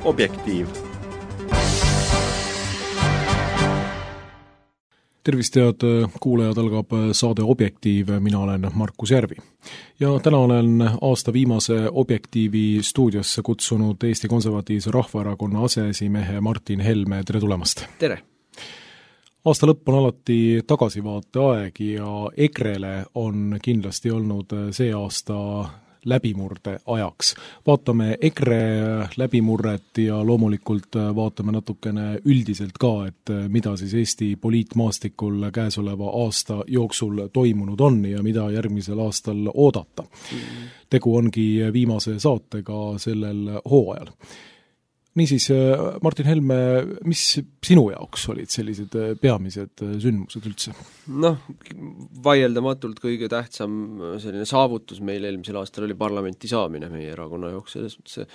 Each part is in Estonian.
Objektiiv. Tervist, head kuulajad, algab saade Objektiiv, mina olen Markus Järvi. Ja täna olen aasta viimase Objektiivi stuudiosse kutsunud Eesti Konservatiivse Rahvaerakonna aseesimehe Martin Helme, tere tulemast! Tere! Aasta lõpp on alati tagasivaate aeg ja EKRE-le on kindlasti olnud see aasta läbimurde ajaks. Vaatame EKRE läbimurret ja loomulikult vaatame natukene üldiselt ka, et mida siis Eesti poliitmaastikul käesoleva aasta jooksul toimunud on ja mida järgmisel aastal oodata. Tegu ongi viimase saatega sellel hooajal. Niisiis, Martin Helme, mis sinu jaoks olid sellised peamised sündmused üldse? Vaieldamatult kõige tähtsam selline saavutus meil eelmisel aastal oli parlamenti saamine meie erakonna jaoks, selles mõttes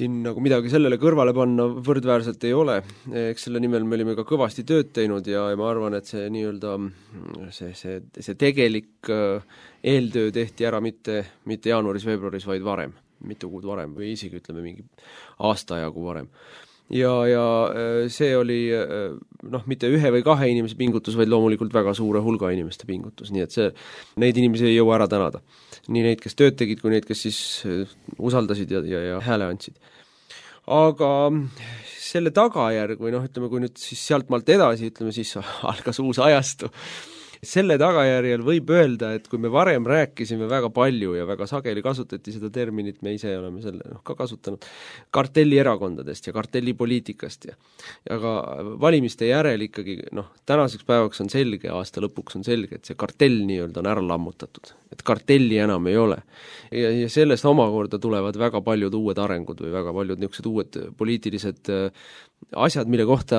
siin nagu midagi sellele kõrvale panna võrdväärselt ei ole. Eks selle nimel me olime ka kõvasti tööd teinud ja ma arvan, et see nii-öelda see tegelik eeltöö tehti ära mitte jaanuaris-veebruaris, vaid varem. Mitu kuud varem või isegi ütleme mingi aastaajagu varem. Ja see oli mitte ühe või kahe inimese pingutus, vaid loomulikult väga suure hulga inimeste pingutus, nii et neid inimesi ei jõua ära tänada. Nii neid, kes tööd tegid, kui neid, kes siis usaldasid ja hääle andsid. Aga selle tagajärg või ütleme, kui nüüd siis sealt maalt edasi, ütleme siis algas uus ajastu. Selle tagajärjel võib öelda, et kui me varem rääkisime väga palju ja väga sageli kasutati seda terminit, me ise oleme selle ka kasutanud, kartellierakondadest ja kartellipoliitikast ja ka valimiste järel ikkagi, tänaseks päevaks on selge, aasta lõpuks on selge, et see kartell nii-öelda on ära lammutatud, et kartelli enam ei ole. Ja sellest omakorda tulevad väga paljud uued arengud või väga paljud niisugused uued poliitilised asjad, mille kohta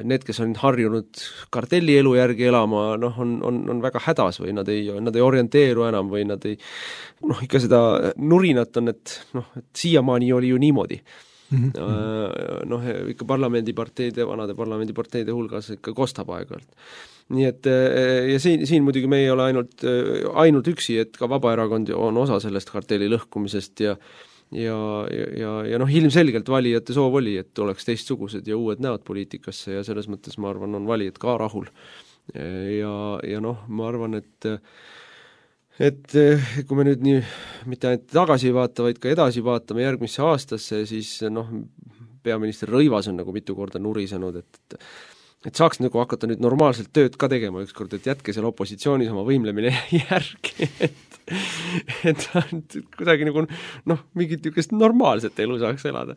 need, kes on harjunud kartellielu järgi elama, on väga hädas või nad ei orienteeru enam või nad ei, ikka seda nurinat on, et siiamaani oli ju niimoodi. Ikka vanade parlamendiparteide hulgas ikka kostab aeg-ajalt. Nii et ja siin muidugi me ei ole ainult üksi, et ka Vabaerakond on osa sellest kartelli lõhkumisest ja ilmselgelt valijate soov oli, et oleks teistsugused ja uued näod poliitikasse ja selles mõttes ma arvan, on valijad ka rahul. Ja ma arvan, et kui me nüüd nii mitte ainult tagasi vaata, vaid ka edasi vaatame järgmisse aastasse, siis peaminister Rõivas on nagu mitu korda nurisenud, et saaks nagu hakata nüüd normaalselt tööd ka tegema ükskord, et jätke seal opositsioonis oma võimlemine järgi, et kuidagi nagu mingit niisugust normaalset elu saaks elada.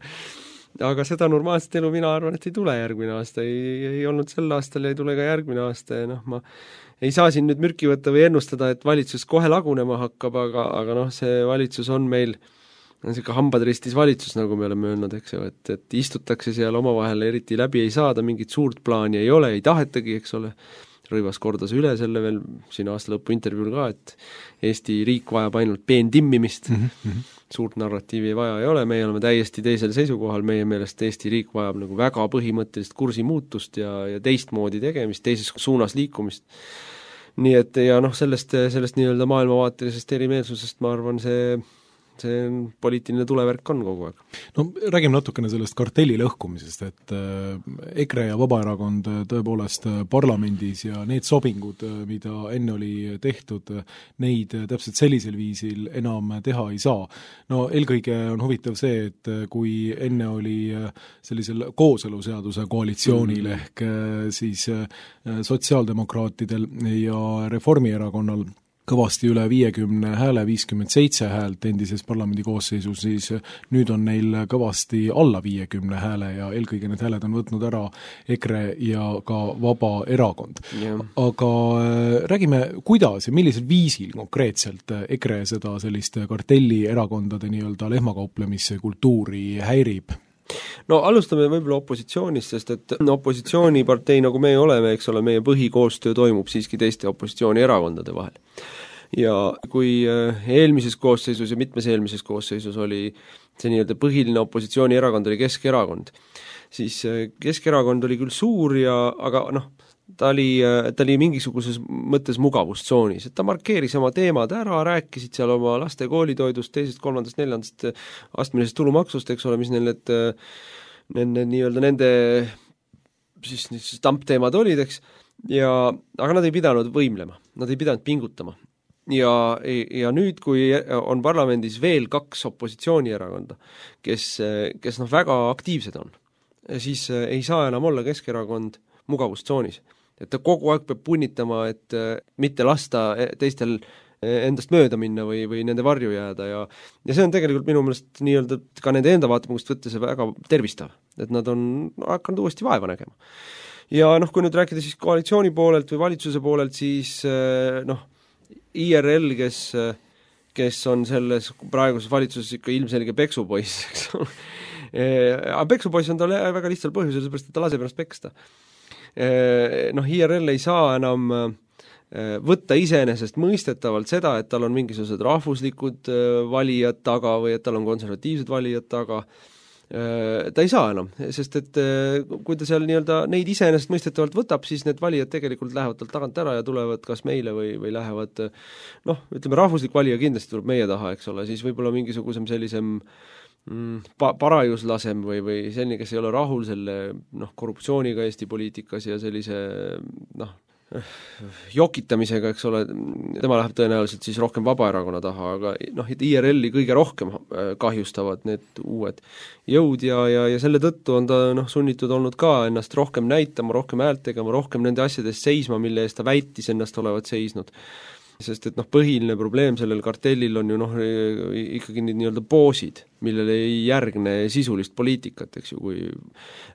Aga seda normaalset elu mina arvan, et ei tule järgmine aasta, ei olnud sel aastal ja ei tule ka järgmine aasta ja ma ei saa siin nüüd mürki võtta või ennustada, et valitsus kohe lagunema hakkab, aga see valitsus on meil niisugune hambad ristis valitsus, nagu me oleme öelnud, eks ju, et istutakse seal omavahel eriti läbi ei saada, mingit suurt plaani ei ole, ei tahetagi, eks ole. Rõivas kordas üle selle veel siin aasta lõpu intervjuul ka, et Eesti riik vajab ainult peendimmimist, suurt narratiivi vaja ei ole, meie oleme täiesti teisel seisukohal, meie meelest Eesti riik vajab nagu väga põhimõttelist kursimuutust ja teistmoodi tegemist, teises suunas liikumist. Nii et ja sellest nii-öelda maailmavaatelisest erimeelsusest ma arvan, see poliitiline tulevärk on kogu aeg. Räägime natukene sellest kartelli lõhkumisest, et EKRE ja Vabaerakond tõepoolest parlamendis ja need sobingud, mida enne oli tehtud, neid täpselt sellisel viisil enam teha ei saa. Eelkõige on huvitav see, et kui enne oli sellisel kooseluseaduse koalitsioonil ehk siis sotsiaaldemokraatidel ja Reformierakonnal kõvasti üle 50 hääle, 57 häält endises parlamendi koosseisus, siis nüüd on neil kõvasti alla 50 hääle ja eelkõige need hääled on võtnud ära EKRE ja ka Vabaerakond. Yeah. Aga räägime, kuidas ja millisel viisil konkreetselt EKRE seda sellist kartellierakondade nii-öelda lehmakauplemise kultuuri häirib? Alustame võib-olla opositsioonist, sest et opositsioonipartei, nagu me oleme, eks ole, meie põhikoostöö toimub siiski teiste opositsioonierakondade vahel. Ja kui eelmises koosseisus ja mitmes eelmises koosseisus oli see nii-öelda põhiline opositsioonierakond oli Keskerakond, siis Keskerakond oli küll suur aga ta oli mingisuguses mõttes mugavustsoonis, et ta markeeris oma teemad ära, rääkisid seal oma laste koolitoidust, 2., 3., 4. astmelisest tulumaksust, eks ole, mis nende siis tampteemad olid, eks, aga nad ei pidanud võimlema, nad ei pidanud pingutama. Ja nüüd, kui on parlamendis veel 2 opositsioonierakonda, kes väga aktiivsed on, siis ei saa enam olla Keskerakond mugavustsoonis. Et ta kogu aeg peab punnitama, et mitte lasta teistel endast mööda minna või nende varju jääda ja see on tegelikult minu meelest nii-öelda ka nende enda vaatepunktist võttes väga tervistav, et nad on hakanud uuesti vaeva nägema. Ja kui nüüd rääkida siis koalitsiooni poolelt või valitsuse poolelt, siis IRL, kes on selles praeguses valitsuses ikka ilmselge peksupoiss, eks ole. Aga peksupoiss on tal väga lihtsal põhjusel, seepärast, et ta laseb ennast peksta. IRL ei saa enam võtta iseenesest mõistetavalt seda, et tal on mingisugused rahvuslikud valijad taga või et tal on konservatiivsed valijad taga. Ta ei saa enam, sest et kui ta seal nii-öelda neid iseenesest mõistetavalt võtab, siis need valijad tegelikult lähevad talt tagant ära ja tulevad kas meile või lähevad, ütleme, rahvuslik valija kindlasti tuleb meie taha, eks ole, siis võib-olla mingisugusem sellisem parajuslasem või selline, kes ei ole rahul selle korruptsiooniga Eesti poliitikas ja sellise jokitamisega, eks ole, tema läheb tõenäoliselt siis rohkem Vabaerakonna taha, aga IRL-i kõige rohkem kahjustavad need uued jõud ja selle tõttu on ta sunnitud olnud ka ennast rohkem näitama, rohkem häält tegema, rohkem nende asjadest seisma, mille eest ta väitis ennast olevat seisnud. Sest et põhiline probleem sellel kartellil on ju ikkagi need nii-öelda poosid, millele ei järgne sisulist poliitikat, eks ju, kui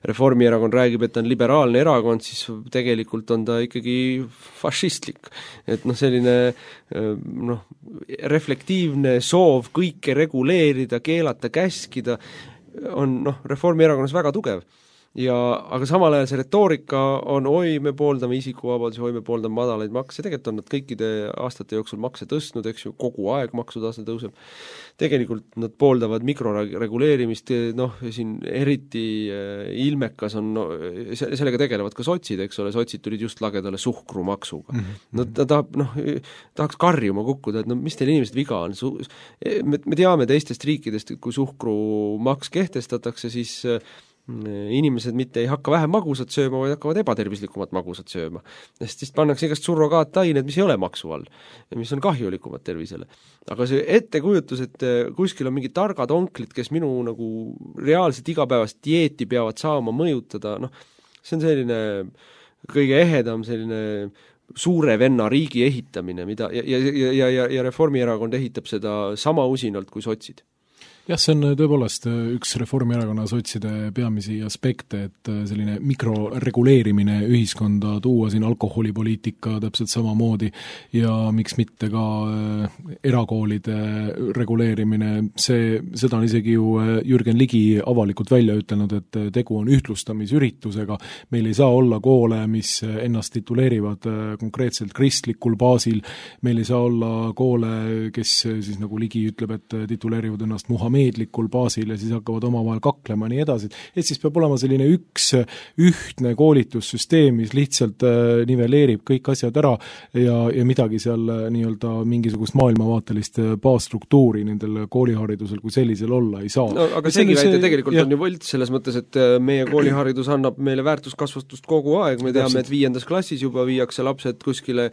Reformierakond räägib, et ta on liberaalne erakond, siis tegelikult on ta ikkagi fašistlik. Et selline reflektiivne soov kõike reguleerida, keelata, käskida on Reformierakonnas väga tugev. Aga samal ajal see retoorika on me pooldame isikuvabadusi, me pooldame madalaid makse, tegelikult on nad kõikide aastate jooksul makse tõstnud, eks ju, kogu aeg maksutase tõuseb. Tegelikult nad pooldavad mikroreguleerimist, siin eriti ilmekas on, sellega tegelevad ka sotsid, eks ole, sotsid tulid just lagedale suhkrumaksuga. Tahaks karjuma kukkuda, et mis teil inimesed viga on? Me teame teistest riikidest, et kui suhkrumaks kehtestatakse, siis inimesed mitte ei hakka vähem magusat sööma, vaid hakkavad ebatervislikumat magusat sööma. Sest siis pannakse igast surrogaatained, mis ei ole maksu all ja mis on kahjulikumad tervisele. Aga see ettekujutus, et kuskil on mingi targad onklid, kes minu reaalselt igapäevast dieeti peavad saama mõjutada, see on selline kõige ehedam selline suure venna riigi ehitamine, mida ja Reformierakond ehitab seda sama usinalt kui sotsid. Jah, see on tõepoolest üks Reformierakonna sotside peamisi aspekte, et selline mikroreguleerimine ühiskonda tuua, siin alkoholipoliitika täpselt samamoodi ja miks mitte ka erakoolide reguleerimine, seda on isegi ju Jürgen Ligi avalikult välja ütelnud, et tegu on ühtlustamisüritusega, meil ei saa olla koole, mis ennast tituleerivad konkreetselt kristlikul baasil, meil ei saa olla koole, kes siis nagu Ligi ütleb, et tituleerivad ennast muhameedlikul baasil ja siis hakkavad omavahel kaklema ja nii edasi. Et siis peab olema selline ühtne koolitussüsteem, mis lihtsalt nivelleerib kõik asjad ära ja midagi seal nii-öelda mingisugust maailmavaatelist baasstruktuuri nendel kooliharidusel kui sellisel olla ei saa. No, aga seegi väide tegelikult on ju võlts selles mõttes, et meie kooliharidus annab meile väärtuskasvatust kogu aeg, me teame, et 5. klassis juba viiakse lapsed kuskile,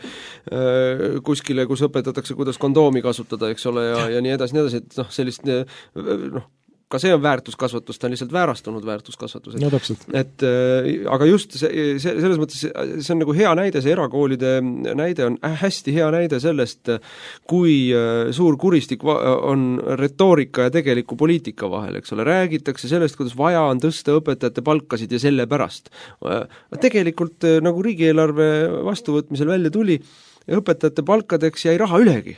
kus õpetatakse, kuidas kondoomi kasutada, eks ole, ja nii edasi, et sellist ka see on väärtuskasvatus, ta on lihtsalt väärastunud väärtuskasvatus. No täpselt. Aga just selles mõttes see on nagu hea näide, see erakoolide näide on hästi hea näide sellest, kui suur kuristik on retoorika ja tegeliku poliitika vahel, eks ole. Räägitakse sellest, kuidas vaja on tõsta õpetajate palkasid ja selle pärast. Tegelikult nagu riigieelarve vastuvõtmisel välja tuli, õpetajate palkadeks jäi raha ülegi.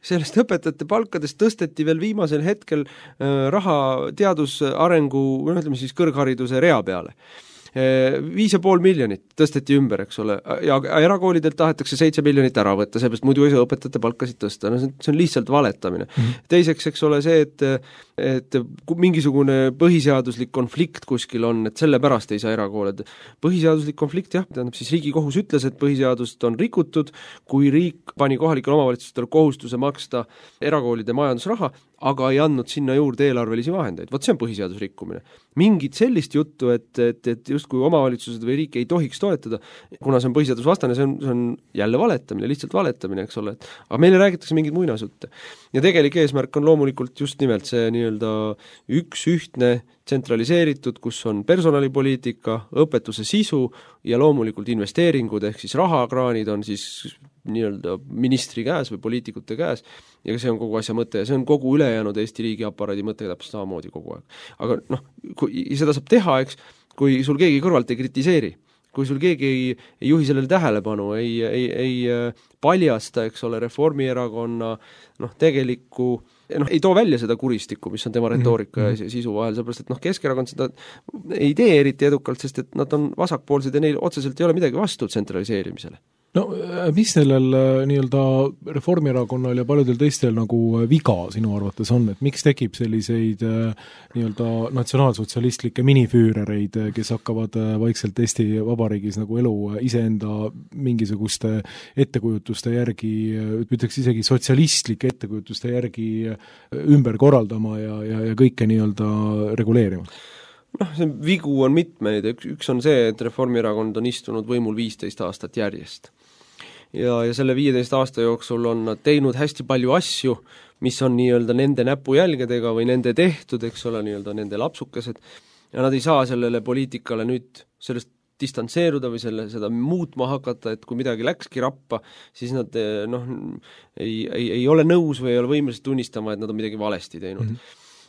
Sellest õpetajate palkadest tõsteti veel viimasel hetkel raha teadusarengu, ütleme siis kõrghariduse rea peale. 5,5 miljonit tõsteti ümber, eks ole, ja erakoolidelt tahetakse 7 miljonit ära võtta, seepärast muidu ei saa õpetajate palkasid tõsta, no see on lihtsalt valetamine. Teiseks, eks ole, see, et mingisugune põhiseaduslik konflikt kuskil on, et sellepärast ei saa erakooled. Põhiseaduslik konflikt, jah, tähendab siis Riigikohus ütles, et põhiseadust on rikutud, kui riik pani kohalikele omavalitsustele kohustuse maksta erakoolide majandusraha, aga ei andnud sinna juurde eelarvelisi vahendeid. Vot see on põhiseadusrikkumine. Mingit sellist juttu, et justkui omavalitsused või riik ei tohiks toetada, kuna see on põhiseadusvastane, see on jälle valetamine, lihtsalt valetamine, eks ole. Aga meile räägitakse mingid muinasutte. Ja tegelik eesmärk on loomulikult just nimelt see nii-öelda üks ühtne tsentraliseeritud, kus on personalipoliitika, õpetuse sisu ja loomulikult investeeringud, ehk siis rahakraanid on siis nii-öelda ministri käes või poliitikute käes, ja see on kogu asja mõte ja see on kogu ülejäänud Eesti riigi aparaadi mõte täpselt samamoodi kogu aeg. Aga noh, seda saab teha, eks, kui sul keegi kõrvalt ei kritiseeri, kui sul keegi ei juhi sellele tähelepanu, ei paljasta, eks ole, Reformierakonna tegelikku ei too välja seda kuristikku, mis on tema retoorika ja sisu vahel, sellepärast, et Keskerakond seda ei tee eriti edukalt, sest et nad on vasakpoolsed ja neil otseselt ei ole midagi vastu tsentraliseerimisele. No mis sellel nii-öelda Reformierakonnal ja paljudel teistel nagu viga sinu arvates on, et miks tekib selliseid nii-öelda natsionaalsotsialistlikke minifüürereid, kes hakkavad vaikselt Eesti Vabariigis nagu elu iseenda mingisuguste ettekujutuste järgi, ütleks isegi sotsialistlike ettekujutuste järgi ümber korraldama ja kõike nii-öelda reguleerima? See vigu on mitmeid, üks on see, et Reformierakond on istunud võimul 15 aastat järjest. Ja selle 15 aasta jooksul on nad teinud hästi palju asju, mis on nii-öelda nende näpujälgedega või nende tehtud, eks ole, nii-öelda nende lapsukesed, ja nad ei saa sellele poliitikale nüüd sellest distantseeruda või seda muutma hakata, et kui midagi läkski rappa, siis nad ei ole nõus või ei ole võimelised tunnistama, et nad on midagi valesti teinud.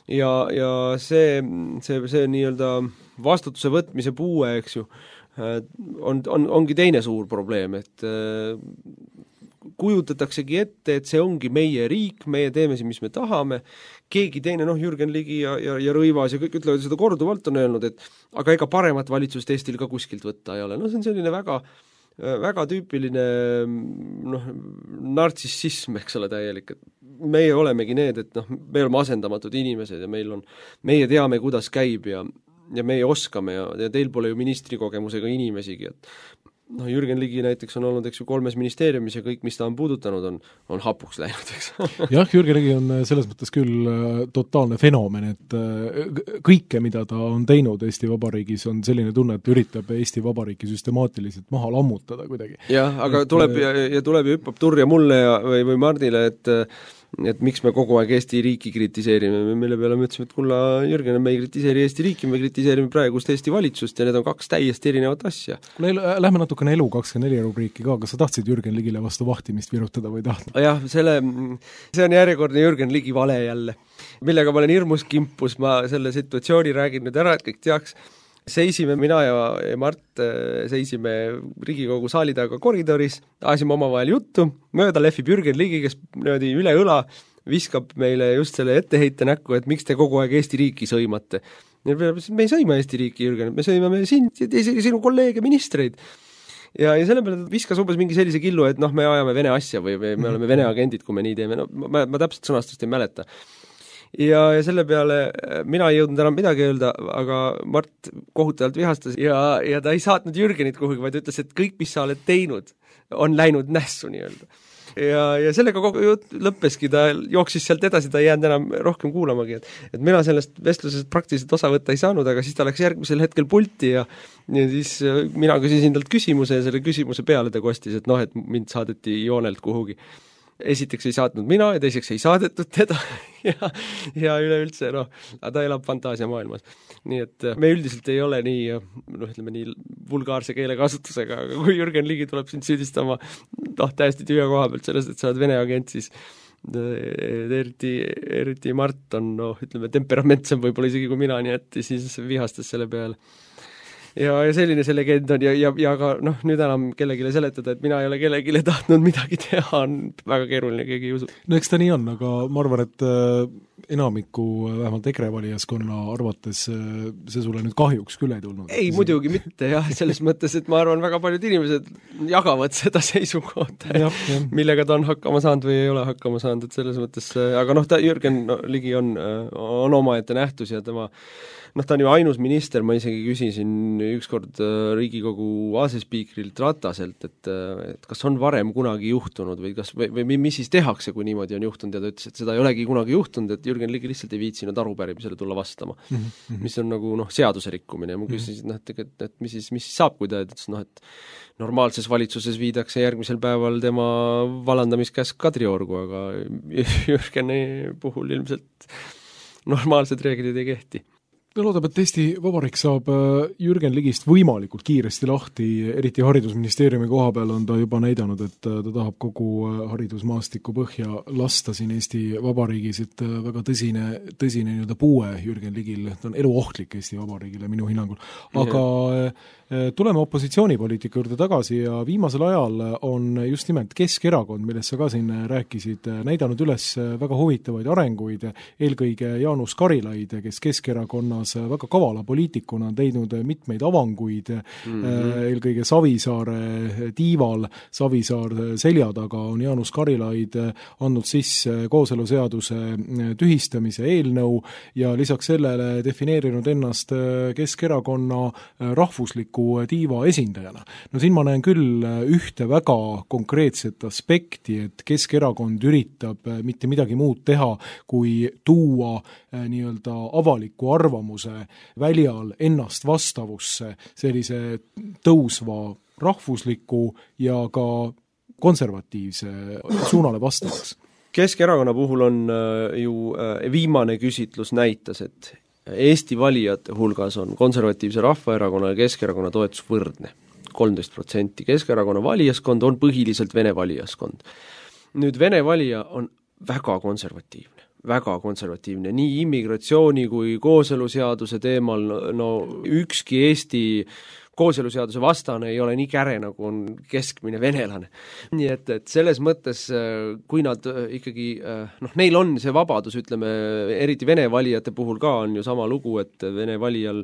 Ja see nii-öelda vastutuse võtmise puue, eks ju, ongi teine suur probleem, et kujutataksegi ette, et see ongi meie riik, meie teeme siin, mis me tahame, keegi teine, Jürgen Ligi ja Rõivas ja kõik ütlevad seda korduvalt on öelnud, et aga ega paremat valitsust Eestil ka kuskilt võtta ei ole. See on selline väga tüüpiline nartsissism, eks ole, täielik, et meie olemegi need, et me oleme asendamatud inimesed ja meie teame, kuidas käib ja meie oskame ja teil pole ju ministrikogemusega inimesigi, et Jürgen Ligi näiteks on olnud, eks ju, 3 ministeeriumis ja kõik, mis ta on puudutanud, on hapuks läinud, eks. Jah, Jürgen Ligi on selles mõttes küll totaalne fenomen, et kõike, mida ta on teinud Eesti Vabariigis, on selline tunne, et üritab Eesti Vabariiki süstemaatiliselt maha lammutada kuidagi. Jah, aga tuleb ja hüppab turja mulle või Mardile, et miks me kogu aeg Eesti riiki kritiseerime, mille peale me ütlesime, et kulla, Jürgen, me ei kritiseeri Eesti riiki, me kritiseerime praegust Eesti valitsust ja need on 2 täiesti erinevat asja. Lähme natukene Elu24 rubriiki ka, kas sa tahtsid Jürgen Ligile vastu vahtimist virutada või tahtnud? Jah, see on järjekordne Jürgen Ligi vale jälle, millega ma olen hirmus kimpus, ma selle situatsiooni räägin nüüd ära, et kõik teaks. Seisime, mina ja Mart seisime Riigikogu saali taga koridoris, ajasime omavahel juttu, mööda lehvib Jürgen Ligi, kes üle õla viskab meile just selle etteheite näkku, et miks te kogu aeg Eesti riiki sõimate. Me ei sõima Eesti riiki, Jürgen, me sõimame sinu kolleege, ministreid. Ja selle peale viskas umbes mingi sellise killu, et me ajame vene asja või me oleme vene agendid, kui me nii teeme. Ma täpselt sõnastust ei mäleta. Ja selle peale mina ei jõudnud enam midagi öelda, aga Mart kohutavalt vihastas ja ta ei saatnud Jürgenit kuhugi, vaid ütles, et kõik, mis sa oled teinud, on läinud nässu nii-öelda. Ja sellega kogu jutt lõppeski, ta jooksis sealt edasi, ta ei jäänud enam rohkem kuulamagi, et mina sellest vestlusest praktiliselt osa võtta ei saanud, aga siis ta läks järgmisel hetkel pulti ja siis mina küsisin talt küsimuse ja selle küsimuse peale ta kostis, et et mind saadeti joonelt kuhugi. Esiteks ei saatnud mina ja teiseks ei saadetud teda ja üleüldse, ta elab fantaasiamaailmas. Nii et me üldiselt ei ole nii, nii vulgaarse keelekasutusega, aga kui Jürgen Ligi tuleb sind süüdistama täiesti tühja koha pealt sellest, et sa oled vene agent, siis eriti Mart on, temperamentsem võib-olla isegi kui mina, nii et siis vihastas selle peale. ja selline see legend on ja ka noh, nüüd enam kellegile seletada, et mina ei ole kellegile tahtnud midagi teha, on väga keeruline, keegi ei usu. No eks ta nii on, aga ma arvan, et enamiku, vähemalt EKRE valijaskonna arvates see sulle nüüd kahjuks küll ei tulnud. Ei, muidugi mitte jah, selles mõttes, et ma arvan, väga paljud inimesed jagavad seda seisukohta, millega ta on hakkama saanud või ei ole hakkama saanud, et selles mõttes, aga noh, Jürgen Ligi on omaette nähtus ja tema ta on ju ainus minister, ma isegi küsisin ükskord Riigikogu asespiikrilt Rataselt, et kas on varem kunagi juhtunud või mis siis tehakse, kui niimoodi on juhtunud, ja ta ütles, et seda ei olegi kunagi juhtunud, et Jürgen Ligi lihtsalt ei viitsinud arupärimisele tulla vastama, mis on nagu seaduse rikkumine ja ma küsisin, et mis siis saab, kui ta ütles, et normaalses valitsuses viidakse järgmisel päeval tema vallandamiskäsk Kadriorgu, aga Jürgeni puhul ilmselt normaalsed reeglid ei kehti. No loodab, et Eesti Vabariik saab Jürgen Ligist võimalikult kiiresti lahti, eriti haridusministeeriumi koha peal on ta juba näidanud, et ta tahab kogu haridusmaastiku põhja lasta siin Eesti Vabariigis, et väga tõsine nii-öelda puue Jürgen Ligil, ta on eluohtlik Eesti Vabariigile minu hinnangul. Aga tuleme opositsioonipoliitika juurde tagasi ja viimasel ajal on just nimelt Keskerakond, millest sa ka siin rääkisid, näidanud üles väga huvitavaid arenguid, eelkõige Jaanus Karilaid, kes Keskerakonnas väga kavala poliitikuna on teinud mitmeid avanguid, eelkõige Savisaare tiival, Savisaar selja taga on Jaanus Karilaid andnud sisse kooseluseaduse tühistamise eelnõu ja lisaks sellele defineerinud ennast Keskerakonna rahvusliku tiiva esindajana. No siin ma näen küll ühte väga konkreetset aspekti, et Keskerakond üritab mitte midagi muud teha, kui tuua nii-öelda avaliku arvamuse väljal ennast vastavusse sellise tõusva rahvusliku ja ka konservatiivse suunale vastavaks. Keskerakonna puhul on ju viimane küsitlus näitas, et Eesti valijate hulgas on konservatiivse Rahvaerakonna ja Keskerakonna toetus võrdne, 13%. Keskerakonna valijaskond on põhiliselt vene valijaskond. Nüüd vene valija on väga konservatiivne, nii immigratsiooni kui kooseluseaduse teemal, no ükski Eesti kooseluseaduse vastane ei ole nii käre, nagu on keskmine venelane. Nii et selles mõttes, kui nad ikkagi, neil on see vabadus, ütleme, eriti vene valijate puhul ka on ju sama lugu, et vene valijal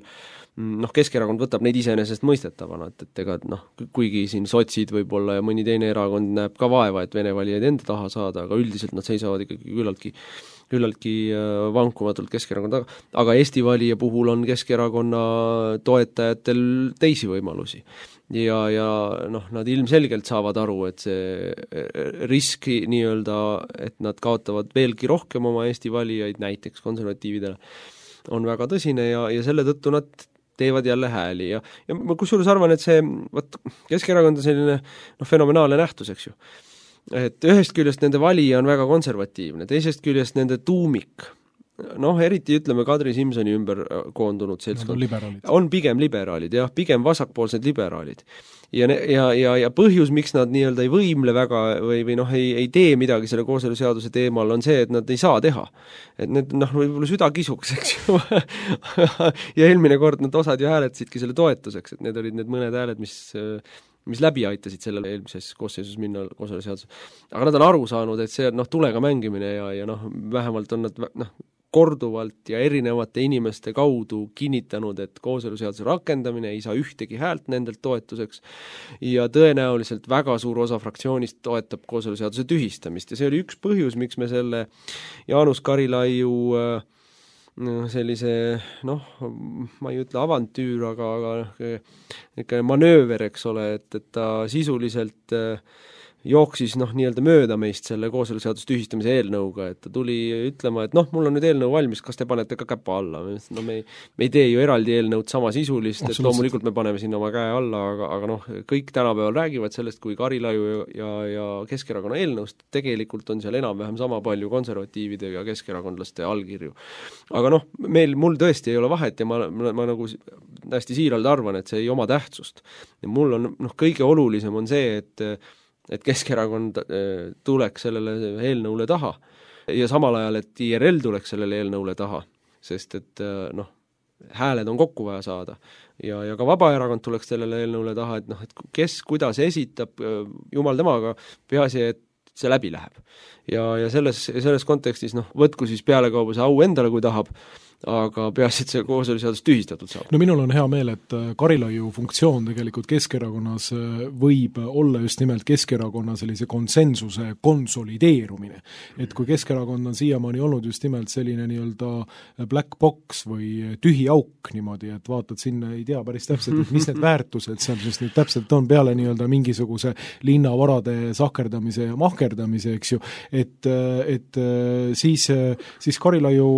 Keskerakond võtab neid iseenesest mõistetavana, et ega kuigi siin sotsid võib-olla ja mõni teine erakond näeb ka vaeva, et vene valijaid enda taha saada, aga üldiselt nad seisavad ikkagi küllaltki vankumatult Keskerakonna taga, aga Eesti valija puhul on Keskerakonna toetajatel teisi võimalusi. Ja nad ilmselgelt saavad aru, et see riski nii-öelda, et nad kaotavad veelgi rohkem oma Eesti valijaid, näiteks konservatiividele, on väga tõsine ja selle tõttu nad teevad jälle hääli ja ma kusjuures arvan, et see Keskerakond on selline fenomenaalne nähtus, eks ju. Et ühest küljest nende valija on väga konservatiivne, teisest küljest nende tuumik, eriti ütleme Kadri Simsoni ümber koondunud seltskond, on pigem liberaalid, jah, pigem vasakpoolsed liberaalid. Ja põhjus, miks nad nii-öelda ei võimle väga või ei tee midagi selle kooseluseaduse teemal, on see, et nad ei saa teha. Et need võib-olla süda kisuks, eks ju. Ja eelmine kord nad osad ju hääletasidki selle toetuseks, et need olid need mõned hääled, mis läbi aitasid sellel eelmises koosseisus minna kooseluseaduse. Aga nad on aru saanud, et see on tulega mängimine ja vähemalt on nad korduvalt ja erinevate inimeste kaudu kinnitanud, et kooseluseaduse rakendamine ei saa ühtegi häält nendelt toetuseks ja tõenäoliselt väga suur osa fraktsioonist toetab kooseluseaduse tühistamist ja see oli üks põhjus, miks me selle Jaanus Karilaiu sellise, ma ei ütle avantüür, aga ikka manööver, eks ole, et ta sisuliselt jooksis nii-öelda mööda meist selle kooseluseaduse tühistamise eelnõuga, et ta tuli ütlema, et mul on nüüd eelnõu valmis, kas te panete ka käpa alla? Me ei tee ju eraldi eelnõud samasisulist, et loomulikult me paneme sinna oma käe alla, aga kõik tänapäeval räägivad sellest, kui Karilaiu ja Keskerakonna eelnõust, tegelikult on seal enam-vähem sama palju konservatiivide ja keskerakondlaste allkirju. Aga mul tõesti ei ole vahet ja ma nagu hästi siiralt arvan, et see ei oma tähtsust. Ja mul on kõige olulisem on see, et Keskerakond tuleks sellele eelnõule taha ja samal ajal, et IRL tuleks sellele eelnõule taha, sest et hääled on kokku vaja saada. Ja ka Vabaerakond tuleks sellele eelnõule taha, et et kes kuidas esitab, jumal temaga, peaasi, et see läbi läheb. Ja selles kontekstis võtku siis pealekauba see au endale, kui tahab, aga peaasi, et see kooseluseadus tühistatud saab. No minul on hea meel, et Karilaiu funktsioon tegelikult Keskerakonnas võib olla just nimelt Keskerakonna sellise konsensuse konsolideerumine. Et kui Keskerakond on siiamaani olnud just nimelt selline nii-öelda black box või tühi auk niimoodi, et vaatad sinna, ei tea päris täpselt, et mis need väärtused seal siis nüüd täpselt on peale nii-öelda mingisuguse linnavarade sahkerdamise ja mahkerdamise, eks ju, et siis Karilaiu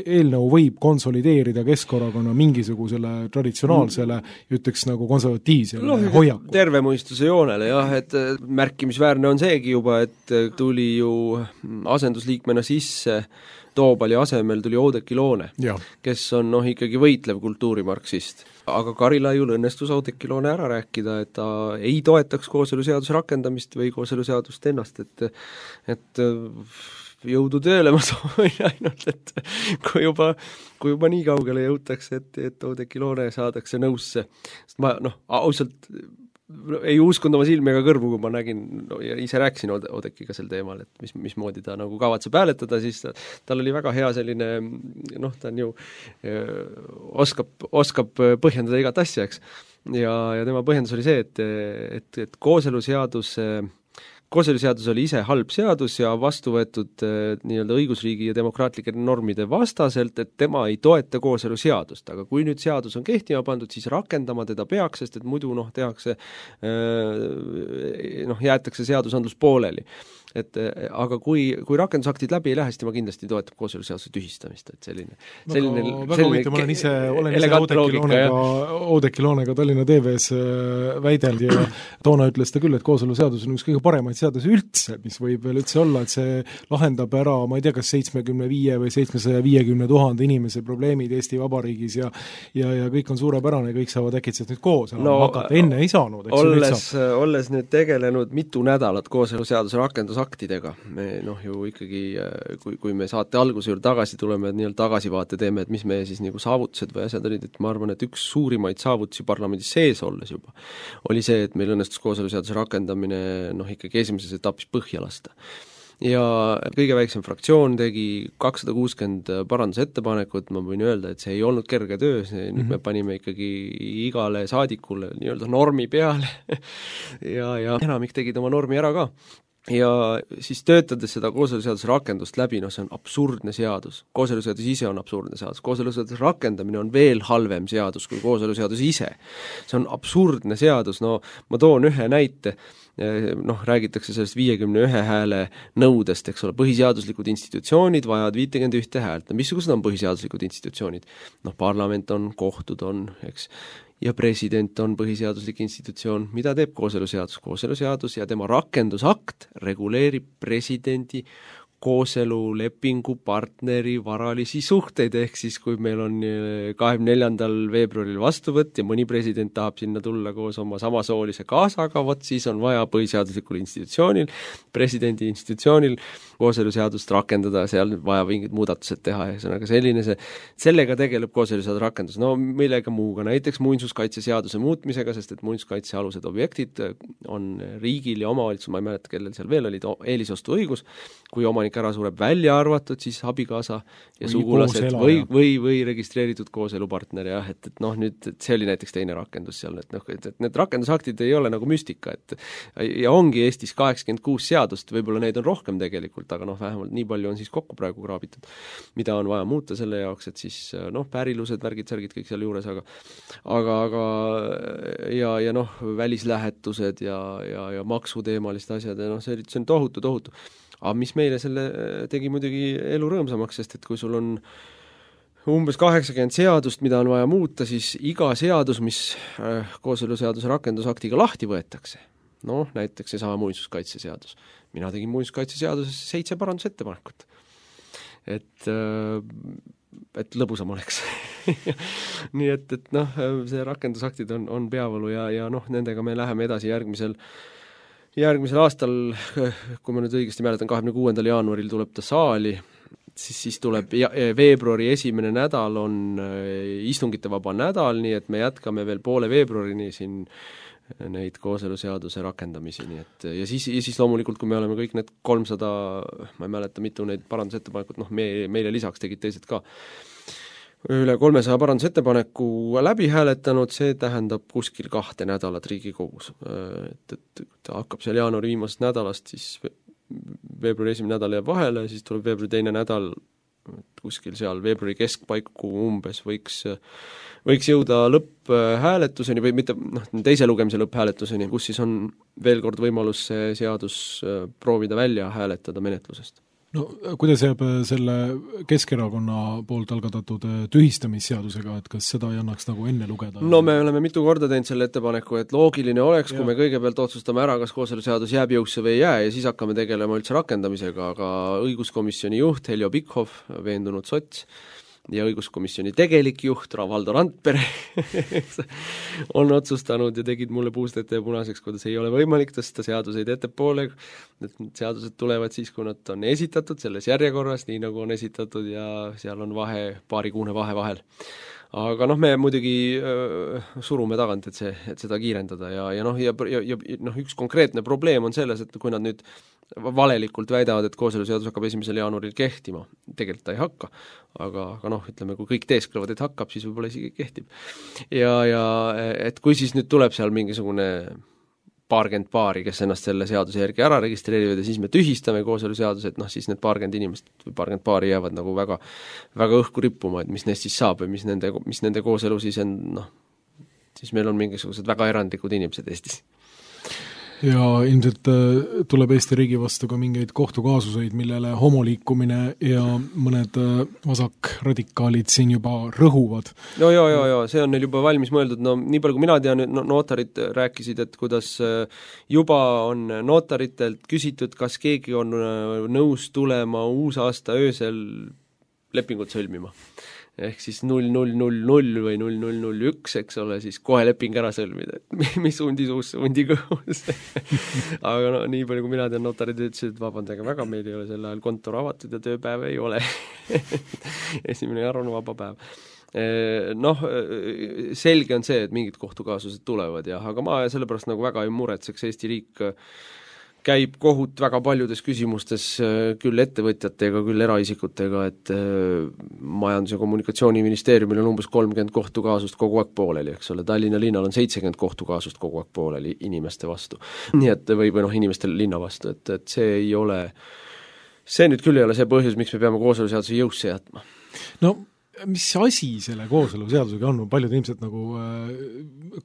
eelnõu võib konsolideerida Keskerakonna mingisugusele traditsionaalsele, ütleks nagu konservatiivsele hoiaku. Terve mõistuse joonele, jah, et märkimisväärne on seegi juba, et tuli ju asendusliikmena sisse Toobali asemel tuli Oudekki Loone, kes on ikkagi võitlev kultuurimarksist. Aga Karilaiul õnnestus Oudekki Loone ära rääkida, et ta ei toetaks kooseluseaduse rakendamist või kooseluseadust ennast, et jõudu tööle ma soovin ainult, et kui juba nii kaugele jõutakse, et Oudekki Loone saadakse nõusse. Sest ma ausalt ei uskunud oma silmi ega kõrvu, kui ma nägin ja ise rääkisin Oudekkiga sel teemal, et mismoodi ta nagu kavatseb hääletada, siis tal oli väga hea selline, ta on ju oskab põhjendada igat asja, eks. Ja tema põhjendus oli see, et kooseluseadus oli ise halb seadus ja vastu võetud nii-öelda õigusriigi ja demokraatlike normide vastaselt, et tema ei toeta kooseluseadust, aga kui nüüd seadus on kehtima pandud, siis rakendama teda peaks, sest et muidu tehakse, jäetakse seadusandlus pooleli. Aga kui rakendusaktid läbi ei lähe, siis tema kindlasti toetab kooseluseaduse tühistamist, et selline ma olen ise Oudekki Loonega Tallinna TV-s väideld ja toona ütles ta küll, et kooseluseadus on üks kõige paremaid seadusi üldse, mis võib veel üldse olla, et see lahendab ära, ma ei tea, kas 75 või 750 000 inimese probleemid Eesti Vabariigis ja kõik on suurepärane, kõik saavad äkitselt nüüd koos hakata, enne ei saanud. Olles nüüd tegelenud mitu nädalat kooseluseaduse rakendusaktidega, me ju ikkagi, kui me saate alguse juurde tagasi tuleme, et nii-öelda tagasivaate teeme, et mis meie siis nagu saavutused või asjad olid, et ma arvan, et üks suurimaid saavutusi parlamendis sees olles juba oli see, et meil õnnestus kooseluseaduse rakendamine ikkagi esimeses etapis põhja lasta. Ja kõige väiksem fraktsioon tegi 260 parandusettepanekut, ma võin öelda, et see ei olnud kerge töö, nüüd me panime ikkagi igale saadikule nii-öelda normi peale ja enamik tegid oma normi ära ka. Ja siis töötades seda kooseluseaduse rakendust läbi, see on absurdne seadus. Kooseluseadus ise on absurdne seadus. Kooseluseaduse rakendamine on veel halvem seadus kui kooseluseadus ise. See on absurdne seadus, ma toon ühe näite, räägitakse sellest 51 hääle nõudest, eks ole, põhiseaduslikud institutsioonid vajavad 51 häält. Missugused on põhiseaduslikud institutsioonid? Parlament on, kohtud on, eks, ja president on põhiseaduslik institutsioon. Mida teeb kooseluseadus? Kooseluseadus ja tema rakendusakt reguleerib presidendi kooselulepingu partneri varalisi suhteid, ehk siis kui meil on 24. veebruaril vastuvõtt ja mõni president tahab sinna tulla koos oma samasoolise kaasaga, siis on vaja põhiseaduslikul institutsioonil, presidendi institutsioonil kooseluseadust rakendada, seal vaja mingid muudatused teha, ja sellega tegeleb kooseluseaduse rakendus. Millega muuga, näiteks muinsuskaitseseaduse muutmisega, sest et muinsuskaitsealused objektid on riigil ja omavalitsus, ma ei mäleta, kellel seal veel olid eelisostu õigus, kui omanik ära sureb, välja arvatud siis abikaasa ja sugulased või registreeritud kooselupartner, jah, et nüüd see oli näiteks teine rakendus seal, et need rakendusaktid ei ole nagu müstika, ja ongi Eestis 86 seadust, võib-olla neid on rohkem tegelikult, aga vähemalt nii palju on siis kokku praegu kraabitud, mida on vaja muuta selle jaoks, et siis pärilused, värgid, särgid kõik seal juures, aga välislähetused ja maksuteemalist asjad, ja see on tohutu. Aga mis meile selle tegi muidugi elu rõõmsamaks, sest et kui sul on umbes 80 seadust, mida on vaja muuta, siis iga seadus, mis kooseluseaduse rakendusaktiga lahti võetakse, näiteks see sama muinsuskaitseseadus. Mina tegin muinsuskaitseseaduses 7 parandusettepanekut. Et lõbusam oleks. Nii et see rakendusaktid on peavalu ja nendega me läheme edasi järgmisel aastal, kui ma nüüd õigesti mäletan, 26. jaanuaril tuleb ta saali, siis tuleb veebruari esimene nädal on istungite vaba nädal, nii et me jätkame veel poole veebruarini siin neid kooseluseaduse rakendamisi, nii et ja siis loomulikult, kui me oleme kõik need 300, ma ei mäleta, mitu neid parandusettepanekut, meile lisaks tegid teised ka, üle 300 parandusettepaneku läbi hääletanud, see tähendab kuskil 2 nädalat Riigikogus. Et ta hakkab seal jaanuari viimasest nädalast, siis veebruari esimene nädal jääb vahele, siis tuleb veebruari teine nädal, kuskil seal veebruari keskpaiku umbes võiks jõuda lõpphääletuseni või mitte, teise lugemise lõpphääletuseni, kus siis on veel kord võimalus see seadus proovida välja hääletada menetlusest. No kuidas jääb selle Keskerakonna poolt algatatud tühistamisseadusega, et kas seda ei annaks nagu enne lugeda? No me oleme mitu korda teinud selle ettepaneku, et loogiline oleks, kui me kõigepealt otsustame ära, kas kooseluseadus jääb jõusse või ei jää ja siis hakkame tegelema üldse rakendamisega, aga õiguskomisjoni juht Heljo Pikhoff, veendunud sots, ja õiguskomisjoni tegelik juht Valdo Randpere on otsustanud ja tegid mulle puust ette ja punaseks, kuidas ei ole võimalik tõsta seaduseid ettepoole, et seadused tulevad siis, kui nad on esitatud selles järjekorras, nii nagu on esitatud ja seal on paarikuune vahe vahel. Aga me muidugi surume tagant, et seda kiirendada ja üks konkreetne probleem on selles, et kui nad nüüd valelikult väidavad, et kooseluseadus hakkab 1. jaanuaril kehtima, tegelikult ta ei hakka, aga ütleme, kui kõik teesklevad, et hakkab, siis võib-olla isegi kehtib. Ja et kui siis nüüd tuleb seal mingisugune paarkümmend paari, kes ennast selle seaduse järgi ära registreerivad ja siis me tühistame kooseluseaduse, et siis need paarkümmend inimest või paarkümmend paari jäävad nagu väga, väga õhku rippuma, et mis neist siis saab või mis nende kooselu siis on, siis meil on mingisugused väga erandlikud inimesed Eestis. Ja ilmselt tuleb Eesti riigi vastu ka mingeid kohtukaasuseid, millele homoliikumine ja mõned vasakradikaalid siin juba rõhuvad. No ja, see on neil juba valmis mõeldud, nii palju kui mina tean, notarid rääkisid, et kuidas juba on notaritelt küsitud, kas keegi on nõus tulema uusaasta öösel lepingut sõlmima. Ehk siis 0000 või 0001, eks ole, siis kohe leping ära sõlmida, et mis hundi suus, hundi kõhus. Aga nii palju kui mina tean, notarid ütlesid, et vabandage väga, meil ei ole sel ajal kontor avatud ja tööpäev ei ole. 1. jaanuar on vaba päev. Selge on see, et mingid kohtukaasused tulevad, aga ma sellepärast nagu väga ei muretseks, Eesti riik käib kohut väga paljudes küsimustes küll ettevõtjatega, küll eraisikutega, et Majandus- ja Kommunikatsiooniministeeriumil on umbes 30 kohtukaasust kogu aeg pooleli, eks ole, Tallinna linnal on 70 kohtukaasust kogu aeg pooleli inimeste vastu. Nii et või inimestel linna vastu, et see ei ole, see nüüd küll ei ole see põhjus, miks me peame kooseluseaduse jõusse jätma. No mis asi selle kooseluseadusega on paljud inimesed nagu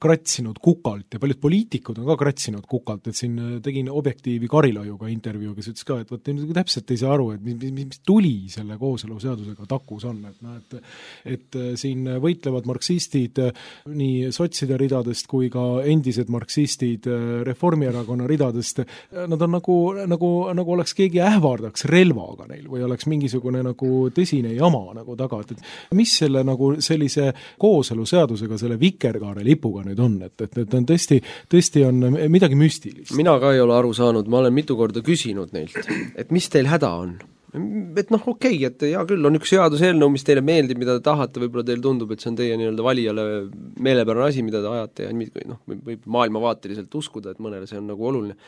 kratsinud kukalt ja paljud poliitikud on ka kratsinud kukalt, et siin tegin Objektiivi Karilaiuga intervjuu, kes ütles ka, et võt täpselt ei saa aru, et mis tuli selle kooseluseadusega takus on, et siin võitlevad marksistid nii sotside ridadest kui ka endised marksistid Reformierakonna ridadest, nad on nagu oleks keegi ähvardaks relvaga neil või oleks mingisugune nagu tõsine jama nagu taga, et mis selle nagu sellise kooseluseadusega, selle vikerkaare lipuga nüüd on, et on tõesti on midagi müstilist. Mina ka ei ole aru saanud, ma olen mitu korda küsinud neilt, et mis teil häda on? Et okei, et hea küll, on üks seaduseelnõu, mis teile meeldib, mida te tahate, võib-olla teil tundub, et see on teie nii-öelda valijale meelepärane asi, mida te ajate ja võib maailmavaateliselt uskuda, et mõnele see on nagu oluline.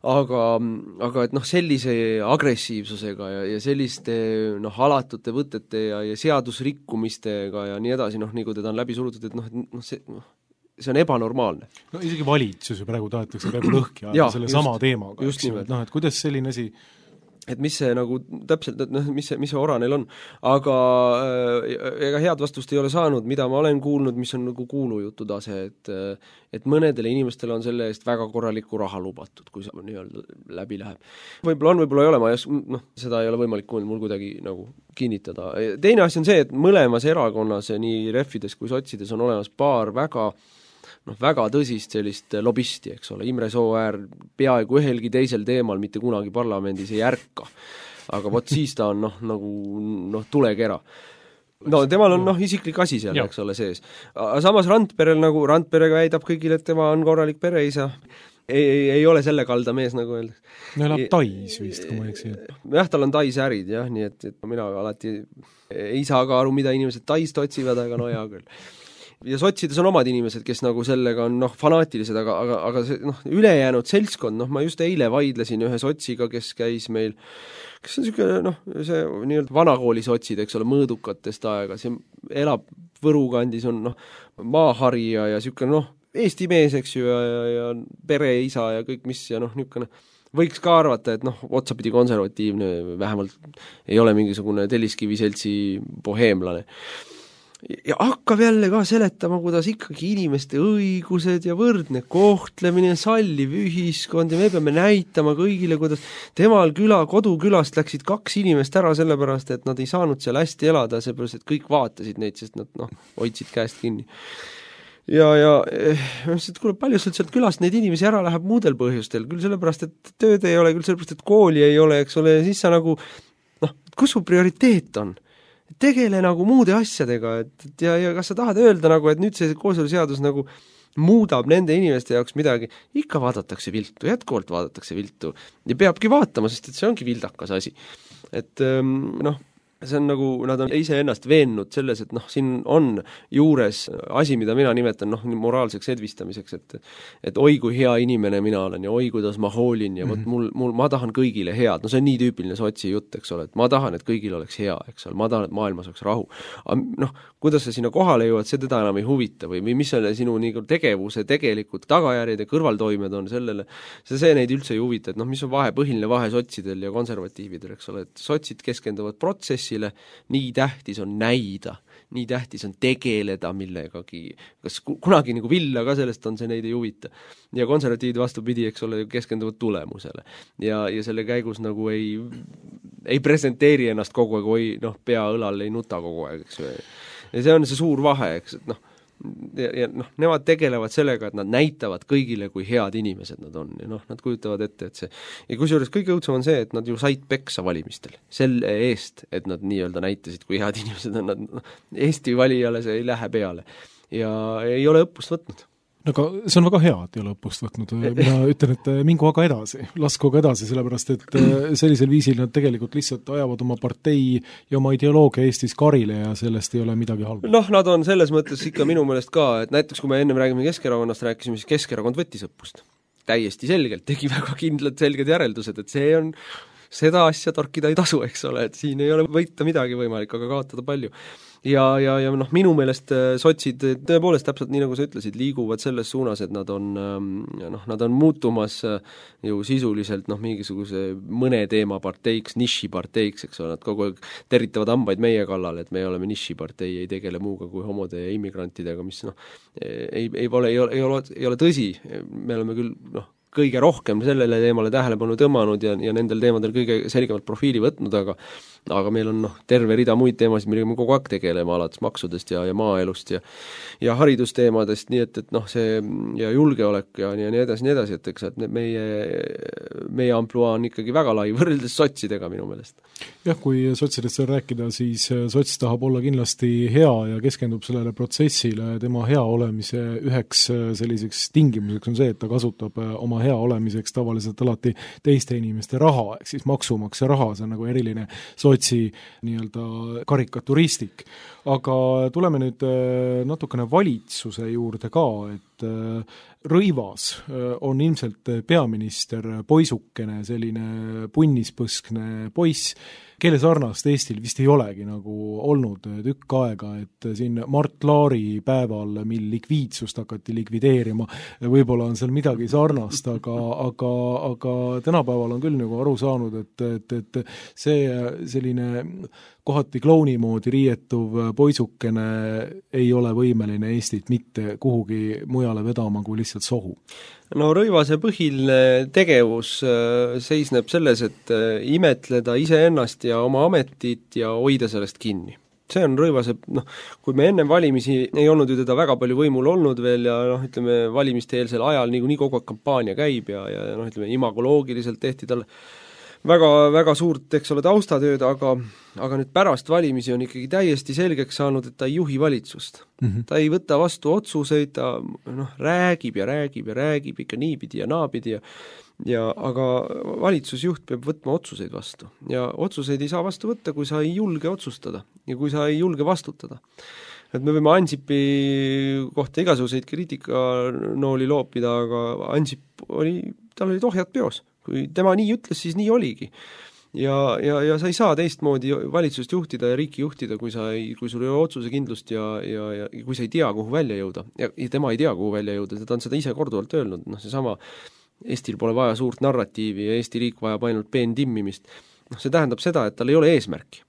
Aga et sellise agressiivsusega ja selliste alatute võtete ja seadusrikkumistega ja nii edasi, nii kui teda on läbi surutud, et see on ebanormaalne. No isegi valitsus ju praegu tahetakse praegu lõhki ajada selle sama teemaga. Just nimelt. Et kuidas selline asi et mis see nagu täpselt, et mis see ora neil on, aga ega head vastust ei ole saanud, mida ma olen kuulnud, mis on nagu kuulujutu tase, et mõnedele inimestele on selle eest väga korralikku raha lubatud, kui see nii-öelda läbi läheb. Võib-olla on, võib-olla ei ole, seda ei ole võimalik mul kuidagi nagu kinnitada. Teine asi on see, et mõlemas erakonnas, nii rehvides kui sotsides on olemas paar väga tõsist sellist lobisti, eks ole, Imre Sooäär peaaegu ühelgi teisel teemal mitte kunagi parlamendis ei ärka, aga vot siis ta on nagu tulekera. Temal on isiklik asi seal, eks ole, sees. Samas Randpere väidab kõigile, et tema on korralik pereisa ei ole selle kalda mees, nagu öeldakse. No elab Tais vist, kui ma eksi. Jah, tal on Tais ärid, jah, nii et mina alati ei saa ka aru, mida inimesed Taist otsivad, aga no hea küll. Ja sotsides on omad inimesed, kes nagu sellega on fanaatilised, aga see ülejäänud seltskond, ma just eile vaidlesin ühe sotsiga, kes käis meil, kes on niisugune, see nii-öelda vanakooli sotsid, eks ole, mõõdukatest aega, see elab Võru kandis, on maaharija ja niisugune Eesti mees, eks ju, ja pereisa ja kõik mis ja niisugune võiks ka arvata, et otsapidi konservatiivne, vähemalt ei ole mingisugune Telliskiviseltsi boheemlane. Ja hakkab jälle ka seletama, kuidas ikkagi inimeste õigused ja võrdne kohtlemine, salliv ühiskond ja me peame näitama kõigile, kuidas temal kodukülast läksid 2 inimest ära sellepärast, et nad ei saanud seal hästi elada, seepärast, et kõik vaatasid neid, sest nad hoidsid käest kinni. Ja kuule, palju sealt külast neid inimesi ära läheb muudel põhjustel, küll sellepärast, et tööd ei ole, küll sellepärast, et kooli ei ole, eks ole, ja siis sa nagu, kus su prioriteet on? Tegele nagu muude asjadega, ja kas sa tahad öelda nagu, et nüüd see kooseluseadus nagu muudab nende inimeste jaoks midagi, ikka vaadatakse viltu, jätkuvalt vaadatakse viltu ja peabki vaatama, sest et see ongi vildakas asi. Et see on nagu, nad on ise ennast veennud selles, et siin on juures asi, mida mina nimetan moraalseks edvistamiseks, et oi kui hea inimene mina olen ja oi kuidas ma hoolin ja ma tahan kõigile head, see on nii tüüpiline sotsi jutt, eks ole, et ma tahan, et kõigil oleks hea, eks ole, ma tahan, et maailmas oleks rahu. Kuidas sa sinna kohale jõuad, see teda enam ei huvita või mis selle sinu tegevuse tegelikult tagajärjed ja kõrvaltoimed on sellele, see neid üldse ei huvita, et mis on põhiline vahe sotsidel ja konservatiividel, eks ole, et sotsid keskenduvad protsessi, nii tähtis on näida, nii tähtis on tegeleda millegagi, kas kunagi nagu villa ka sellest on, see neid ei huvita. Ja konservatiivid vastupidi, eks ole, keskenduvad tulemusele. Ja selle käigus nagu ei presenteeri ennast kogu aeg, pea õlal ei nuta kogu aeg, eks. Ja see on see suur vahe, eks, et ja nemad tegelevad sellega, et nad näitavad kõigile, kui head inimesed nad on ja nad kujutavad ette, et see ja kusjuures kõige õudsem on see, et nad ju said peksa valimistel selle eest, et nad nii-öelda näitasid, kui head inimesed on nad, Eesti valijale see ei lähe peale ja ei ole õppust võtnud. Aga see on väga hea, et ei ole õppust võtnud. Mina ütlen, et mingu aga edasi, lasku aga edasi, sellepärast et sellisel viisil nad tegelikult lihtsalt ajavad oma partei ja oma ideoloogia Eestis karile ja sellest ei ole midagi halba. Nad on selles mõttes ikka minu meelest ka, et näiteks kui me ennem räägime Keskerakonnast, rääkisime, siis Keskerakond võttis õppust. Täiesti selgelt, tegi väga kindlad selged järeldused, et see on seda asja torkida ei tasu, eks ole, et siin ei ole võita midagi võimalik, aga kaotada palju. Ja minu meelest sotsid tõepoolest täpselt nii, nagu sa ütlesid, liiguvad selles suunas, et nad on muutumas ju sisuliselt mingisuguse mõne teema parteiks, nišiparteiks, eks ole, nad kogu aeg territavad hambaid meie kallal, et me oleme nišipartei, ei tegele muuga kui homode ja immigrantidega, mis ei ole tõsi, me oleme küll kõige rohkem sellele teemale tähelepanu tõmmanud ja nendel teemadel kõige selgemalt profiili võtnud, aga meil on terve rida muid teemasid, millega me kogu aeg tegeleme, alates maksudest ja maaelust ja haridusteemadest, nii et see ja julgeolek ja nii edasi, et eks et meie ampluaa on ikkagi väga lai võrreldes sotsidega minu meelest. Jah, kui sotsidest seal rääkida, siis sots tahab olla kindlasti hea ja keskendub sellele protsessile, tema hea olemise üheks selliseks tingimuseks on see, et ta kasutab oma hea olemiseks tavaliselt alati teiste inimeste raha, ehk siis maksumaksja raha, see on nagu eriline sotsi nii-öelda karikaturistik. Aga tuleme nüüd natukene valitsuse juurde ka, et Rõivas on ilmselt peaminister poisukene, selline punnispõskne poiss, kelle sarnast Eestil vist ei olegi nagu olnud tükk aega, et siin Mart Laari päeval, mil likviidsust hakati likvideerima, võib-olla on seal midagi sarnast, aga tänapäeval on küll nagu aru saanud, et see selline kohati klouni moodi riietuv poisukene ei ole võimeline Eestit mitte kuhugi mujale vedama kui lihtsalt sohu. Rõivase põhiline tegevus seisneb selles, et imetleda iseennast ja oma ametit ja hoida sellest kinni. See on Rõivase, kui me enne valimisi ei olnud ju teda väga palju võimul olnud veel ja ütleme, valimiste eelsel ajal nii kogu aeg kampaania käib ja ütleme, imagoloogiliselt tehti talle väga, väga suurt, eks ole, taustatööd, aga nüüd pärast valimisi on ikkagi täiesti selgeks saanud, et ta ei juhi valitsust. Ta ei võta vastu otsuseid, ta räägib ja räägib ja räägib ikka niipidi ja naapidi aga valitsusjuht peab võtma otsuseid vastu. Ja otsuseid ei saa vastu võtta, kui sa ei julge otsustada ja kui sa ei julge vastutada. Et me võime Ansipi kohta igasuguseid kriitikanooli loopida, aga Ansip tal olid ohjad peos. Kui tema nii ütles, siis nii oligi. Ja sa ei saa teistmoodi valitsust juhtida ja riiki juhtida, kui sul ei ole otsuse kindlust ja kui sa ei tea, kuhu välja jõuda. Ja tema ei tea, kuhu välja jõuda, ta on seda ise korduvalt öelnud. Seesama Eestil pole vaja suurt narratiivi ja Eesti riik vajab ainult peentimmimist. See tähendab seda, et tal ei ole eesmärki.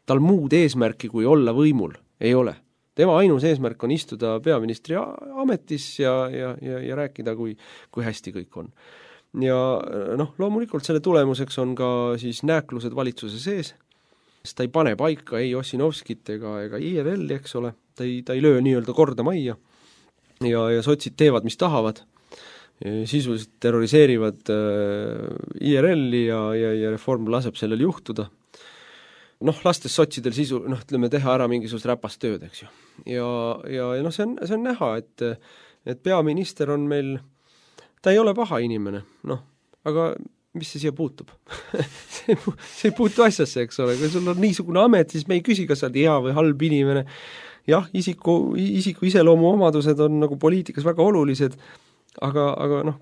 Tal muud eesmärki, kui olla võimul, ei ole. Tema ainus eesmärk on istuda peaministri ametis ja rääkida, kui hästi kõik on. Ja loomulikult selle tulemuseks on ka siis nääklused valitsuse sees, sest ta ei pane paika ei Ossinovskit ega IRL-i, eks ole, ta ei löö nii-öelda korda majja ja sotsid teevad, mis tahavad, sisuliselt terroriseerivad IRL-i ja Reform laseb sellel juhtuda. Lastes sotsidel teha ära mingisugust räpast tööd, eks ju. Ja see on näha, et peaminister on meil, ta ei ole paha inimene, aga mis see siia puutub? see ei puutu asjasse, eks ole, kui sul on niisugune amet, siis me ei küsi, kas sa oled hea või halb inimene. Jah, isiku iseloomu omadused on nagu poliitikas väga olulised, aga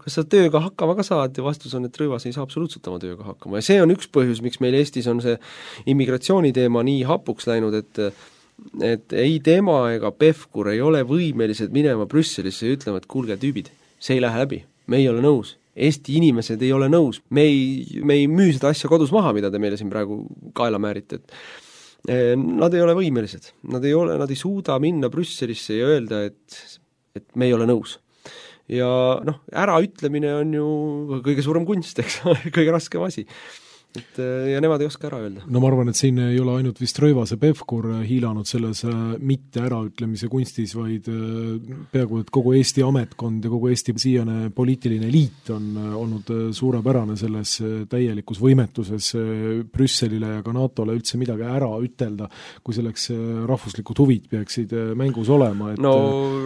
kas sa tööga hakkama ka saad ja vastus on, et Rõivas ei saa absoluutselt oma tööga hakkama ja see on üks põhjus, miks meil Eestis on see immigratsiooniteema nii hapuks läinud, et ei tema ega Pevkur ei ole võimelised minema Brüsselisse ja ütlema, et kuulge tüübid, see ei lähe läbi, me ei ole nõus, Eesti inimesed ei ole nõus, me ei müü seda asja kodus maha, mida te meile siin praegu kaela määrite, nad ei ole võimelised, nad ei suuda minna Brüsselisse ja öelda, et me ei ole nõus. Ja äraütlemine on ju kõige suurem kunst, eks, kõige raskem asi. Ja nemad ei oska ära öelda. Ma arvan, et siin ei ole ainult vist Rõivase Pevkur hiilanud selles mitte äraütlemise kunstis, vaid peaaegu, et kogu Eesti ametkond ja kogu Eesti siiane poliitiline liit on olnud suurepärane selles täielikus võimetuses Brüsselile ja ka NATO-le üldse midagi ära ütelda, kui selleks rahvuslikud huvid peaksid mängus olema.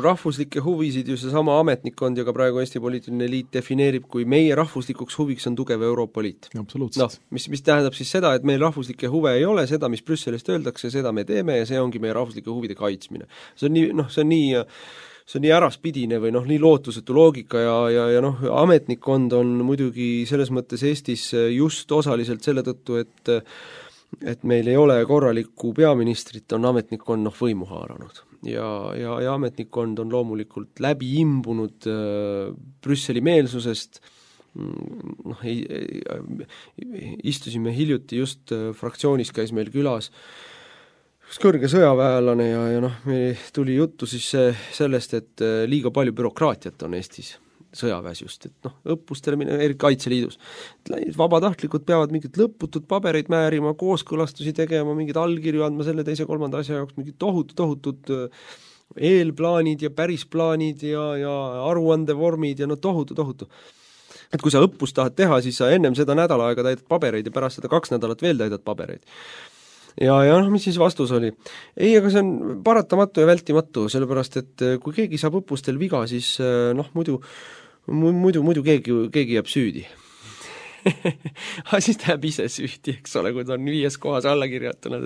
Rahvuslikke huvisid ju seesama ametnikkond ja ka praegu Eesti poliitiline liit defineerib, kui meie rahvuslikuks huviks on tugev Euroopa Liit. Absoluutselt. Mis tähendab siis seda, et meil rahvuslikke huve ei ole, seda, mis Brüsselist öeldakse, seda me teeme ja see ongi meie rahvuslike huvide kaitsmine. See on nii äraspidine või nii lootusetu loogika ja ametnikkond on muidugi selles mõttes Eestis just osaliselt selle tõttu, et meil ei ole korralikku peaministrit, on ametnikkond võimu haaranud. Ja ametnikkond on loomulikult läbi imbunud Brüsseli meelsusest. Istusime hiljuti just fraktsioonis, käis meil külas üks kõrge sõjaväelane ja meil tuli juttu siis sellest, et liiga palju bürokraatiat on Eestis sõjaväes just, et õppustele eri Kaitseliidus. Vabatahtlikud peavad mingid lõputud pabereid määrima, kooskõlastusi tegema, mingid allkirju andma selle teise kolmanda asja jaoks, mingid tohutud eelplaanid ja pärisplaanid ja aruandevormid ja tohutu. Et kui sa õppust tahad teha, siis sa ennem seda nädala aega täidad pabereid ja pärast seda 2 nädalat veel täidad pabereid. Ja mis siis vastus oli? Ei, aga see on paratamatu ja vältimatu, sellepärast et kui keegi saab õppustel viga, siis muidu keegi jääb süüdi. Siis ta jääb ise süüdi, eks ole, kui ta on 5 kohas alla kirjutanud,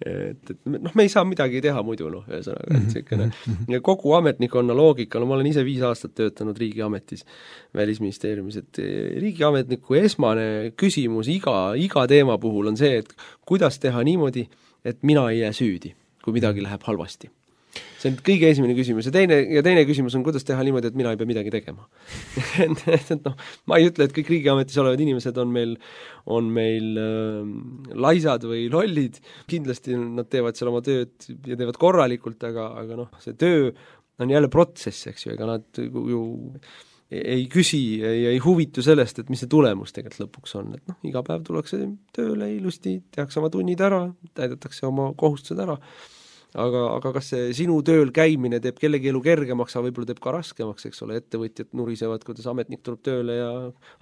et me ei saa midagi teha muidu, ja kogu ametnikonna loogika, ma olen ise 5 aastat töötanud riigiametis, välisministeeriumis, et riigiametniku esmane küsimus iga teema puhul on see, et kuidas teha niimoodi, et mina ei jää süüdi, kui midagi läheb halvasti. See on kõige esimene küsimus ja teine küsimus on, kuidas teha niimoodi, et mina ei pea midagi tegema. Ma ei ütle, et kõik riigiametis olevad inimesed on meil laisad või lollid, kindlasti nad teevad seal oma tööd ja teevad korralikult, aga see töö on jälle protsess, eks ju, ega nad ju ei küsi ja ei huvitu sellest, et mis see tulemus tegelikult lõpuks on, et iga päev tullakse tööle ilusti, tehakse oma tunnid ära, täidetakse oma kohustused ära aga kas see sinu tööl käimine teeb kellegi elu kergemaks, aga võib-olla teeb ka raskemaks, eks ole, ettevõtjad nurisevad, kuidas ametnik tuleb tööle ja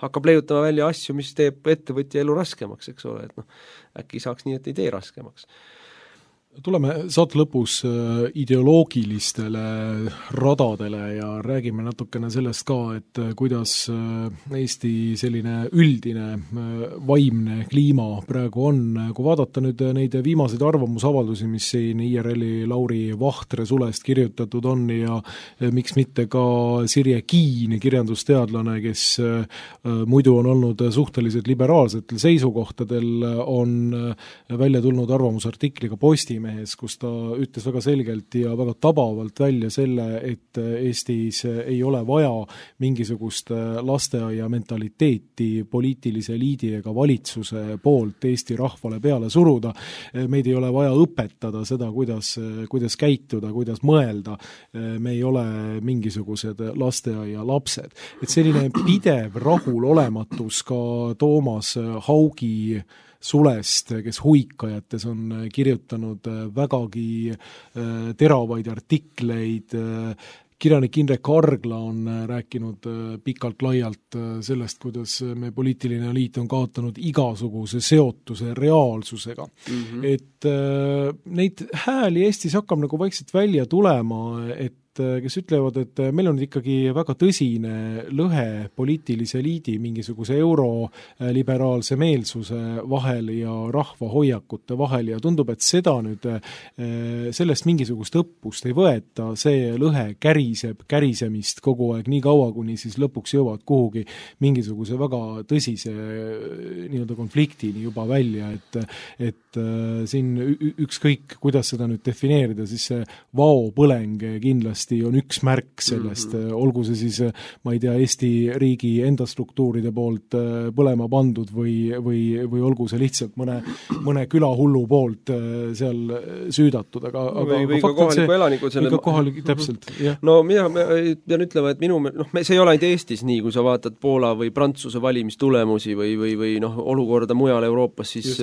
hakkab leiutama välja asju, mis teeb ettevõtja elu raskemaks, eks ole, et äkki saaks nii, et ei tee raskemaks. Tuleme saate lõpus ideoloogilistele radadele ja räägime natukene sellest ka, et kuidas Eesti selline üldine vaimne kliima praegu on. Kui vaadata nüüd neid viimaseid arvamusavaldusi, mis siin IRL-i Lauri Vahtre sulest kirjutatud on ja miks mitte ka Sirje Kiin, kirjandusteadlane, kes muidu on olnud suhteliselt liberaalsetel seisukohtadel, on välja tulnud arvamusartikliga Postimehes, kus ta ütles väga selgelt ja väga tabavalt välja selle, et Eestis ei ole vaja mingisugust lasteaia mentaliteeti poliitilise eliidi ega valitsuse poolt Eesti rahvale peale suruda. Meid ei ole vaja õpetada seda, kuidas käituda, kuidas mõelda. Me ei ole mingisugused lasteaia lapsed. Et selline pidev rahulolematus ka Toomas Haugi sulest, kes Huikajates on kirjutanud vägagi teravaid artikleid. Kirjanik Indrek Argla on rääkinud pikalt-laialt sellest, kuidas me poliitiline eliit on kaotanud igasuguse seotuse reaalsusega. Et neid hääli Eestis hakkab nagu vaikselt välja tulema, kes ütlevad, et meil on ikkagi väga tõsine lõhe poliitilise eliidi mingisuguse euroliberaalse meelsuse vahel ja rahva hoiakute vahel ja tundub, et seda nüüd sellest mingisugust õppust ei võeta, see lõhe kärisemist kogu aeg nii kaua, kuni siis lõpuks jõuavad kuhugi mingisuguse väga tõsise nii-öelda konfliktini juba välja, et siin ükskõik, kuidas seda nüüd defineerida, siis see vaopõleng kindlasti on üks märk sellest, olgu see siis, ma ei tea, Eesti riigi enda struktuuride poolt põlema pandud või olgu see lihtsalt mõne külahullu poolt seal süüdatud, aga või ka kohaliku elanikud selle täpselt, jah. No mina pean ütlema, et see ei ole ainult Eestis nii, kui sa vaatad Poola või Prantsuse valimistulemusi või olukorda mujal Euroopas, siis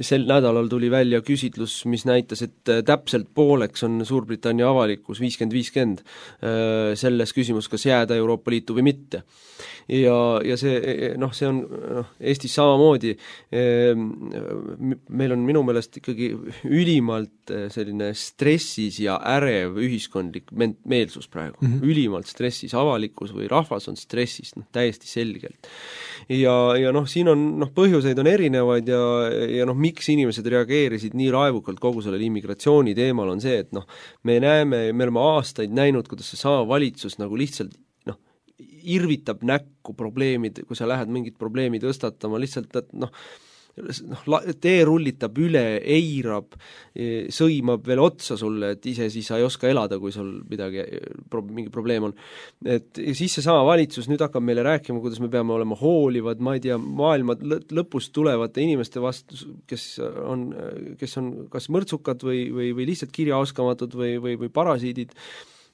sel nädalal tuli välja küsitlus, mis näitas, et täpselt pooleks on Suurbritannia avalikkus 50-50 selles küsimus, kas jääda Euroopa Liitu või mitte. Ja see on Eestis samamoodi, meil on minu meelest ikkagi ülimalt selline stressis ja ärev ühiskondlik meelsus praegu. Ülimalt stressis, avalikkus või rahvas on stressis, täiesti selgelt. Ja siin on, põhjuseid on erinevaid ja miks inimesed reageerisid nii raevukalt kogu sellele immigratsiooni teemal on see, et me oleme aastaid näinud, kuidas see sama valitsus nagu lihtsalt irvitab näkku probleemid, kui sa lähed mingit probleemi tõstatama, lihtsalt, et teerullitab üle, eirab, sõimab veel otsa sulle, et ise siis sa ei oska elada, kui sul mingi probleem on. Et siis see sama valitsus nüüd hakkab meile rääkima, kuidas me peame olema hoolivad, ma ei tea, maailma lõpust tulevate inimeste vastu, kes on kas mõrtsukad või lihtsalt kirjaoskamatud või parasiidid.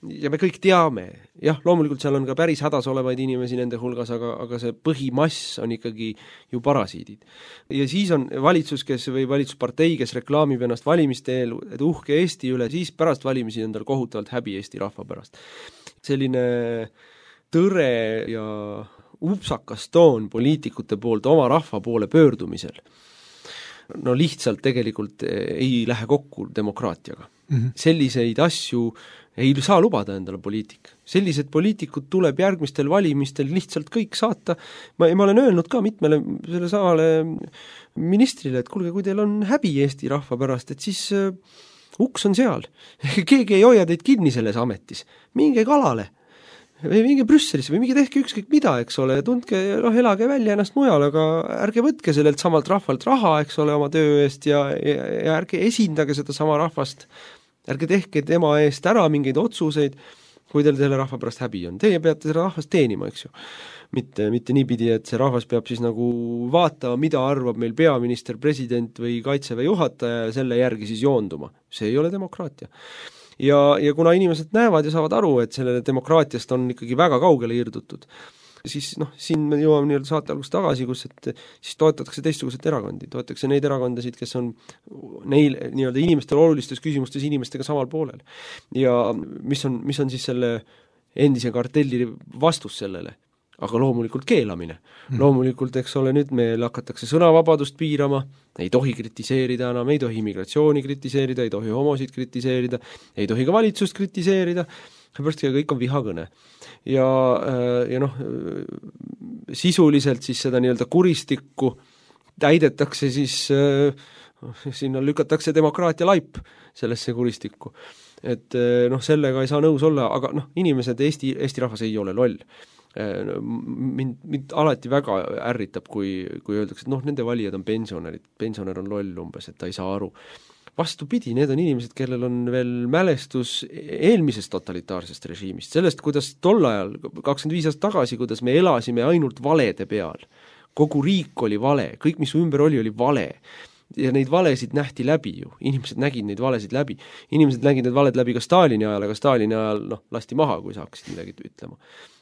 Ja me kõik teame, jah, loomulikult seal on ka päris hädas olevaid inimesi nende hulgas, aga see põhimass on ikkagi ju parasiidid. Ja siis on valitsus, või valitsuspartei, kes reklaamib ennast valimiste eel, et uhke Eesti üle, siis pärast valimisi on tal kohutavalt häbi Eesti rahva pärast. Selline tõre ja upsakas toon poliitikute poolt oma rahva poole pöördumisel, lihtsalt tegelikult ei lähe kokku demokraatiaga. Selliseid asju ei saa lubada endale poliitik. Sellised poliitikud tuleb järgmistel valimistel lihtsalt kõik saata. Ma olen öelnud ka mitmele selle samale ministrile, et kuulge, kui teil on häbi Eesti rahva pärast, et siis uks on seal. Keegi ei hoia teid kinni selles ametis. Minge kalale või minge Brüsselisse või minge tehke ükskõik mida, eks ole, tundke, elage välja ennast mujal, aga ärge võtke sellelt samalt rahvalt raha, eks ole, oma töö eest ja ärge esindage seda sama rahvast. Ärge tehke tema eest ära mingeid otsuseid, kui teil selle rahva pärast häbi on. Teie peate selle rahvast teenima, eks ju. Mitte niipidi, et see rahvas peab siis nagu vaatama, mida arvab meil peaminister, president või kaitseväe juhataja ja selle järgi siis joonduma. See ei ole demokraatia. Ja kuna inimesed näevad ja saavad aru, et selle demokraatiast on ikkagi väga kaugele irdutud, siis siin me jõuame nii-öelda saate algust tagasi, kus et siis toetatakse teistsuguseid erakondi, toetatakse neid erakondasid, kes on neil nii-öelda inimestel olulistes küsimustes inimestega samal poolel. Ja mis on siis selle endise kartelli vastus sellele? Aga loomulikult keelamine. Loomulikult, eks ole, nüüd meil hakatakse sõnavabadust piirama, ei tohi kritiseerida enam, ei tohi immigratsiooni kritiseerida, ei tohi homosid kritiseerida, ei tohi ka valitsust kritiseerida, seepärast kõik on vihakõne. Ja sisuliselt siis seda nii-öelda kuristikku täidetakse siis, sinna lükatakse demokraatia laip sellesse kuristikku. Et sellega ei saa nõus olla, aga inimesed, Eesti rahvas ei ole loll. Mind alati väga ärritab, kui öeldakse, et nende valijad on pensionärid, pensionär on loll umbes, et ta ei saa aru. Vastupidi, need on inimesed, kellel on veel mälestus eelmisest totalitaarsest režiimist, sellest, kuidas tol ajal, 25 aastat tagasi, kuidas me elasime ainult valede peal. Kogu riik oli vale, kõik, mis ümber oli vale. Ja neid valesid nähti läbi ju, inimesed nägid neid valesid läbi. Inimesed nägid need valed läbi ka Stalini ajal, aga Stalini ajal lasti maha, kui sa hakkasid midagi ütlema.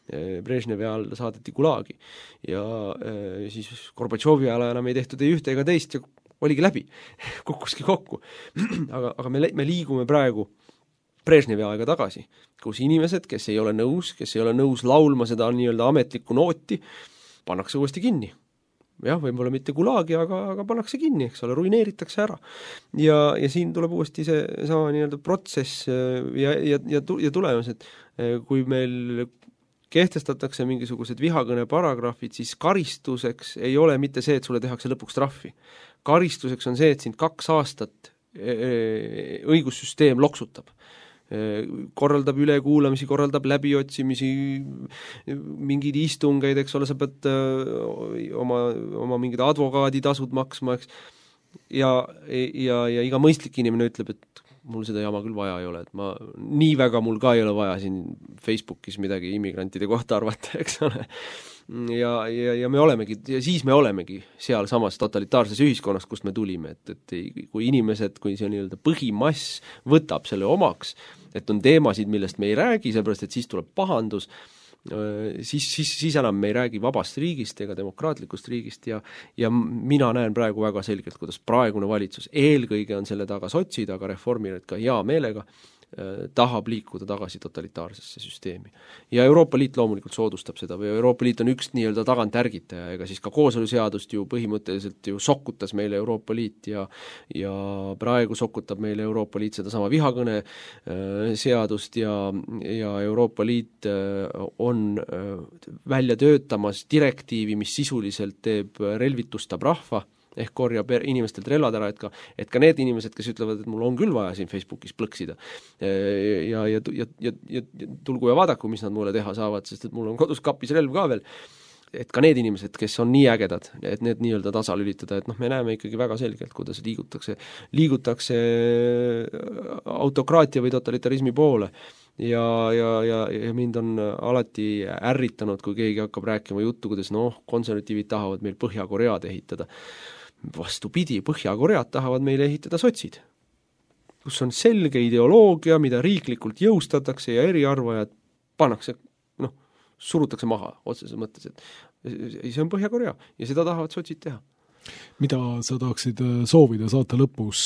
Brežnevi ajal saadeti Gulagi ja siis Gorbatšovi ajal enam ei tehtud ei ühte ega teist ja oligi läbi, kukkuski kokku. aga me liigume praegu Brežnevi aega tagasi, kus inimesed, kes ei ole nõus laulma seda nii-öelda ametlikku nooti, pannakse uuesti kinni. Jah, võib-olla mitte Gulagi, aga pannakse kinni, eks ole, ruineeritakse ära. Ja siin tuleb uuesti see sama nii-öelda protsess ja tulemus, et kui meil kehtestatakse mingisugused vihakõne paragrahvid, siis karistuseks ei ole mitte see, et sulle tehakse lõpuks trahvi. Karistuseks on see, et sind 2 aastat õigussüsteem loksutab. Korraldab ülekuulamisi, korraldab läbiotsimisi, mingeid istungeid, eks ole, sa pead oma mingid advokaaditasud maksma, eks. Ja iga mõistlik inimene ütleb, et mul seda jama küll vaja ei ole, et nii väga mul ka ei ole vaja siin Facebookis midagi immigrantide kohta arvata, eks ole. Ja siis me olemegi seal samas totalitaarses ühiskonnas, kust me tulime, et kui inimesed, kui see nii-öelda põhimass võtab selle omaks, et on teemasid, millest me ei räägi, seepärast, et siis tuleb pahandus, siis enam me ei räägi vabast riigist ega demokraatlikust riigist ja mina näen praegu väga selgelt, kuidas praegune valitsus eelkõige on selle taga sotsid, aga reformijad ka hea meelega tahab liikuda tagasi totalitaarsesse süsteemi. Ja Euroopa Liit loomulikult soodustab seda või Euroopa Liit on üks nii-öelda tagantärgitaja, ega siis ka kooseluseadust ju põhimõtteliselt ju sokkutas meile Euroopa Liit ja praegu sokutab meile Euroopa Liit seda sama vihakõne seadust ja Euroopa Liit on välja töötamas direktiivi, mis sisuliselt teeb relvitustab rahva, ehk korjab inimestelt relvad ära, et ka need inimesed, kes ütlevad, et mul on küll vaja siin Facebookis plõksida ja tulgu ja vaadaku, mis nad mulle teha saavad, sest et mul on kodus kapis relv ka veel, et ka need inimesed, kes on nii ägedad, et need nii-öelda tasalülitada, et me näeme ikkagi väga selgelt, kuidas liigutakse autokraatia või totalitarismi poole ja mind on alati ärritanud, kui keegi hakkab rääkima juttu, kuidas konservatiivid tahavad meil Põhja-Koread ehitada. Vastupidi, Põhja-Koread tahavad meile ehitada sotsid, kus on selge ideoloogia, mida riiklikult jõustatakse ja eriarvajad pannakse, surutakse maha otseses mõttes, et see on Põhja-Korea ja seda tahavad sotsid teha. Mida sa tahaksid soovida saate lõpus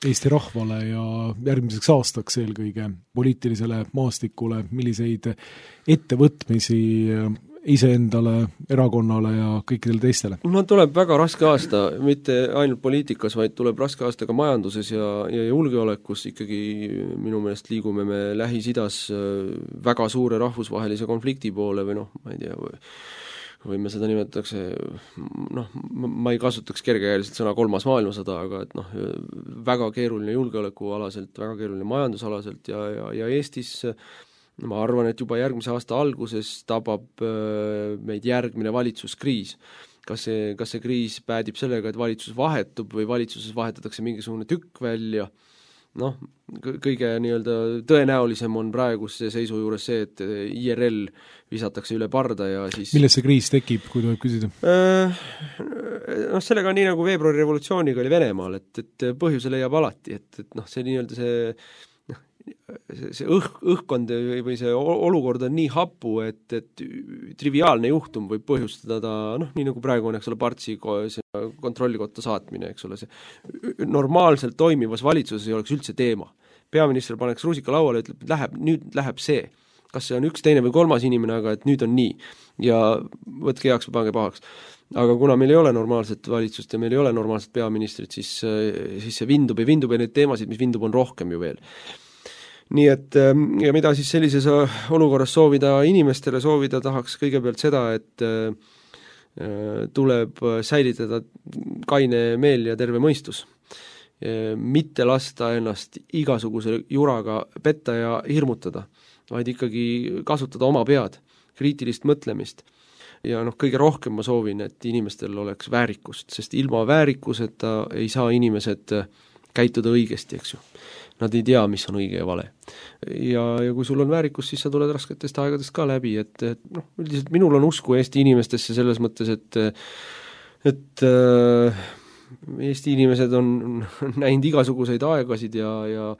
Eesti rahvale ja järgmiseks aastaks eelkõige poliitilisele maastikule, milliseid ettevõtmisi iseendale, erakonnale ja kõikidele teistele? Tuleb väga raske aasta, mitte ainult poliitikas, vaid tuleb raske aasta ka majanduses ja julgeolekus. Ikkagi minu meelest liigume me Lähis-Idas väga suure rahvusvahelise konflikti poole või ma ei tea, või me seda nimetatakse, ma ei kasutaks kergekäeliselt sõna 3. maailmasõda, aga et väga keeruline julgeolekualaselt, väga keeruline majandusalaselt ja Eestis ma arvan, et juba järgmise aasta alguses tabab meid järgmine valitsuskriis. Kas see kriis päädib sellega, et valitsus vahetub või valitsuses vahetatakse mingisugune tükk välja? Kõige nii-öelda tõenäolisem on praeguse seisu juures see, et IRL visatakse üle parda ja siis milles see kriis tekib, kui tohib küsida? Sellega nii nagu veebruari revolutsiooniga oli Venemaal, et põhjuse leiab alati, et see nii-öelda see see õhkkond või see olukord on nii hapu, et triviaalne juhtum võib põhjustada nii nagu praegu on, eks ole, Partsi kontrollikotta saatmine, eks ole, see normaalselt toimivas valitsuses ei oleks üldse teema. Peaminister paneks rusika lauale, ütleb, nüüd läheb see. Kas see on üks, teine või kolmas inimene, aga et nüüd on nii. Ja võtke heaks või pange pahaks. Aga kuna meil ei ole normaalset valitsust ja meil ei ole normaalset peaministrit, siis see vindub ja neid teemasid, mis vindub, on rohkem ju veel. Nii et ja mida siis sellises olukorras inimestele soovida tahaks kõigepealt seda, et tuleb säilitada kaine meel ja terve mõistus. Mitte lasta ennast igasuguse juraga petta ja hirmutada, vaid ikkagi kasutada oma pead, kriitilist mõtlemist. Ja kõige rohkem ma soovin, et inimestel oleks väärikust, sest ilma väärikuseta ei saa inimesed käituda õigesti, eks ju. Nad ei tea, mis on õige ja vale. Ja kui sul on väärikus, siis sa tuled rasketest aegadest ka läbi, et üldiselt minul on usku Eesti inimestesse selles mõttes, et Eesti inimesed on näinud igasuguseid aegasid ja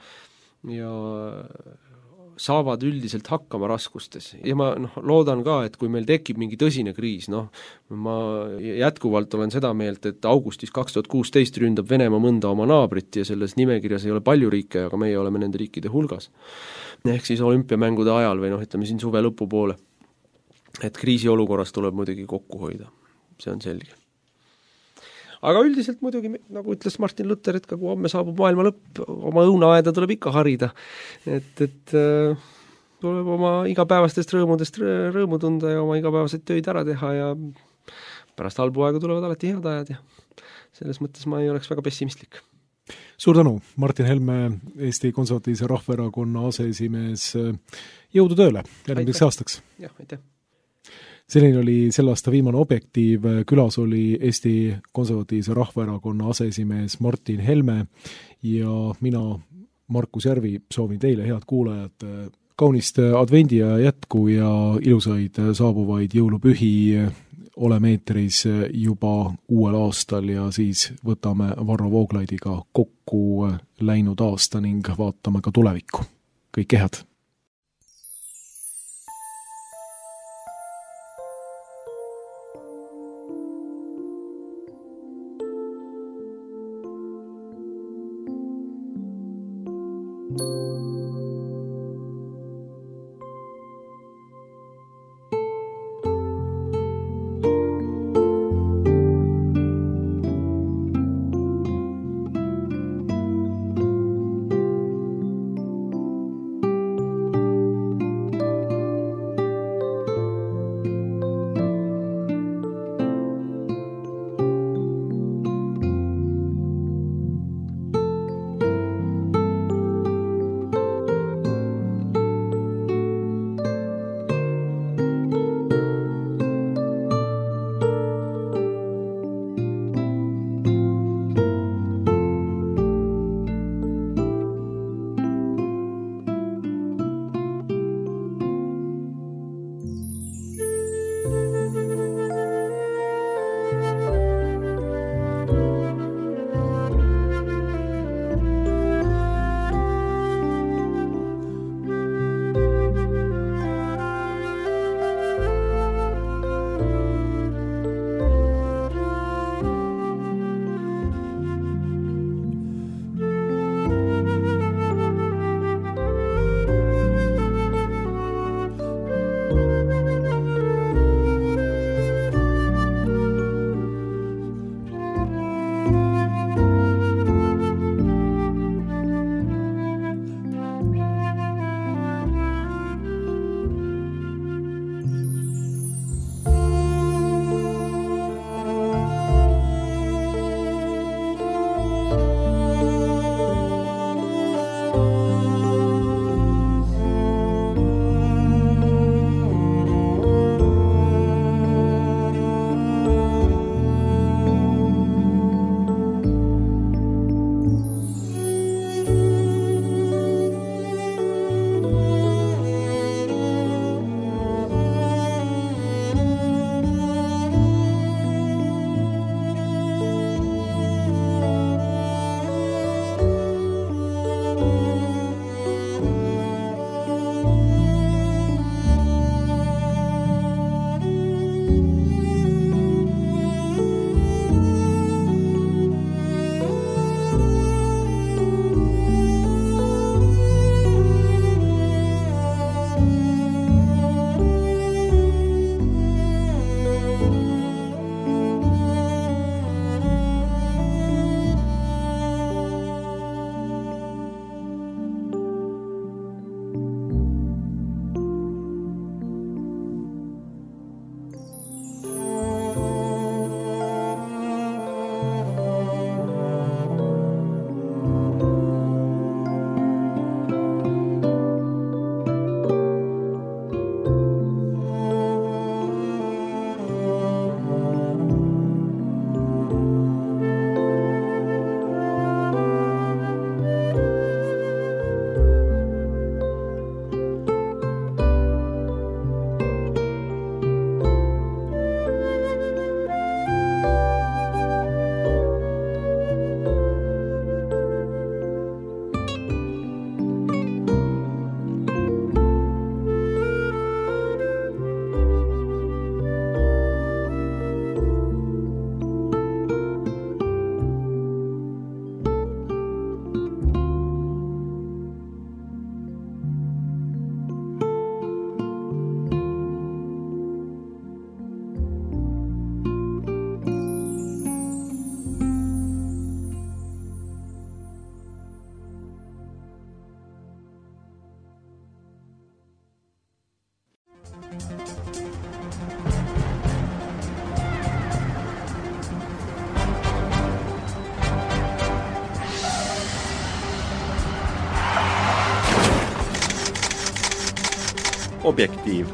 saavad üldiselt hakkama raskustes. Ja ma loodan ka, et kui meil tekib mingi tõsine kriis, ma jätkuvalt olen seda meelt, et augustis 2016 ründab Venemaa mõnda oma naabrit ja selles nimekirjas ei ole palju riike, aga meie oleme nende riikide hulgas. Ehk siis olümpiamängude ajal või ütleme siin suve lõpupoole. Et kriisiolukorras tuleb muidugi kokku hoida. See on selge. Aga üldiselt muidugi, nagu ütles Martin Luther, et kui homme saabub maailma lõpp, oma õunaaeda tuleb ikka harida. Et tuleb oma igapäevastest rõõmudest rõõmu tunda ja oma igapäevaseid töid ära teha ja pärast halbu aega tulevad alati head ajad ja selles mõttes ma ei oleks väga pessimistlik. Suur tänu, Martin Helme, Eesti Konservatiivse Rahvaerakonna aseesimees. Jõudu tööle järgmiseks aastaks. Jah, aitäh. Selline oli selle aasta viimane Objektiiv, külas oli Eesti Konservatiivse Rahvaerakonna aseesimees Martin Helme ja mina, Markus Järvi, soovin teile, head kuulajad, kaunist advendi ja jätku ja ilusaid saabuvaid jõulupühi. Oleme eetris juba uuel aastal ja siis võtame Varro Vooglaidiga kokku läinud aasta ning vaatame ka tulevikku. Kõike head! Objektiiv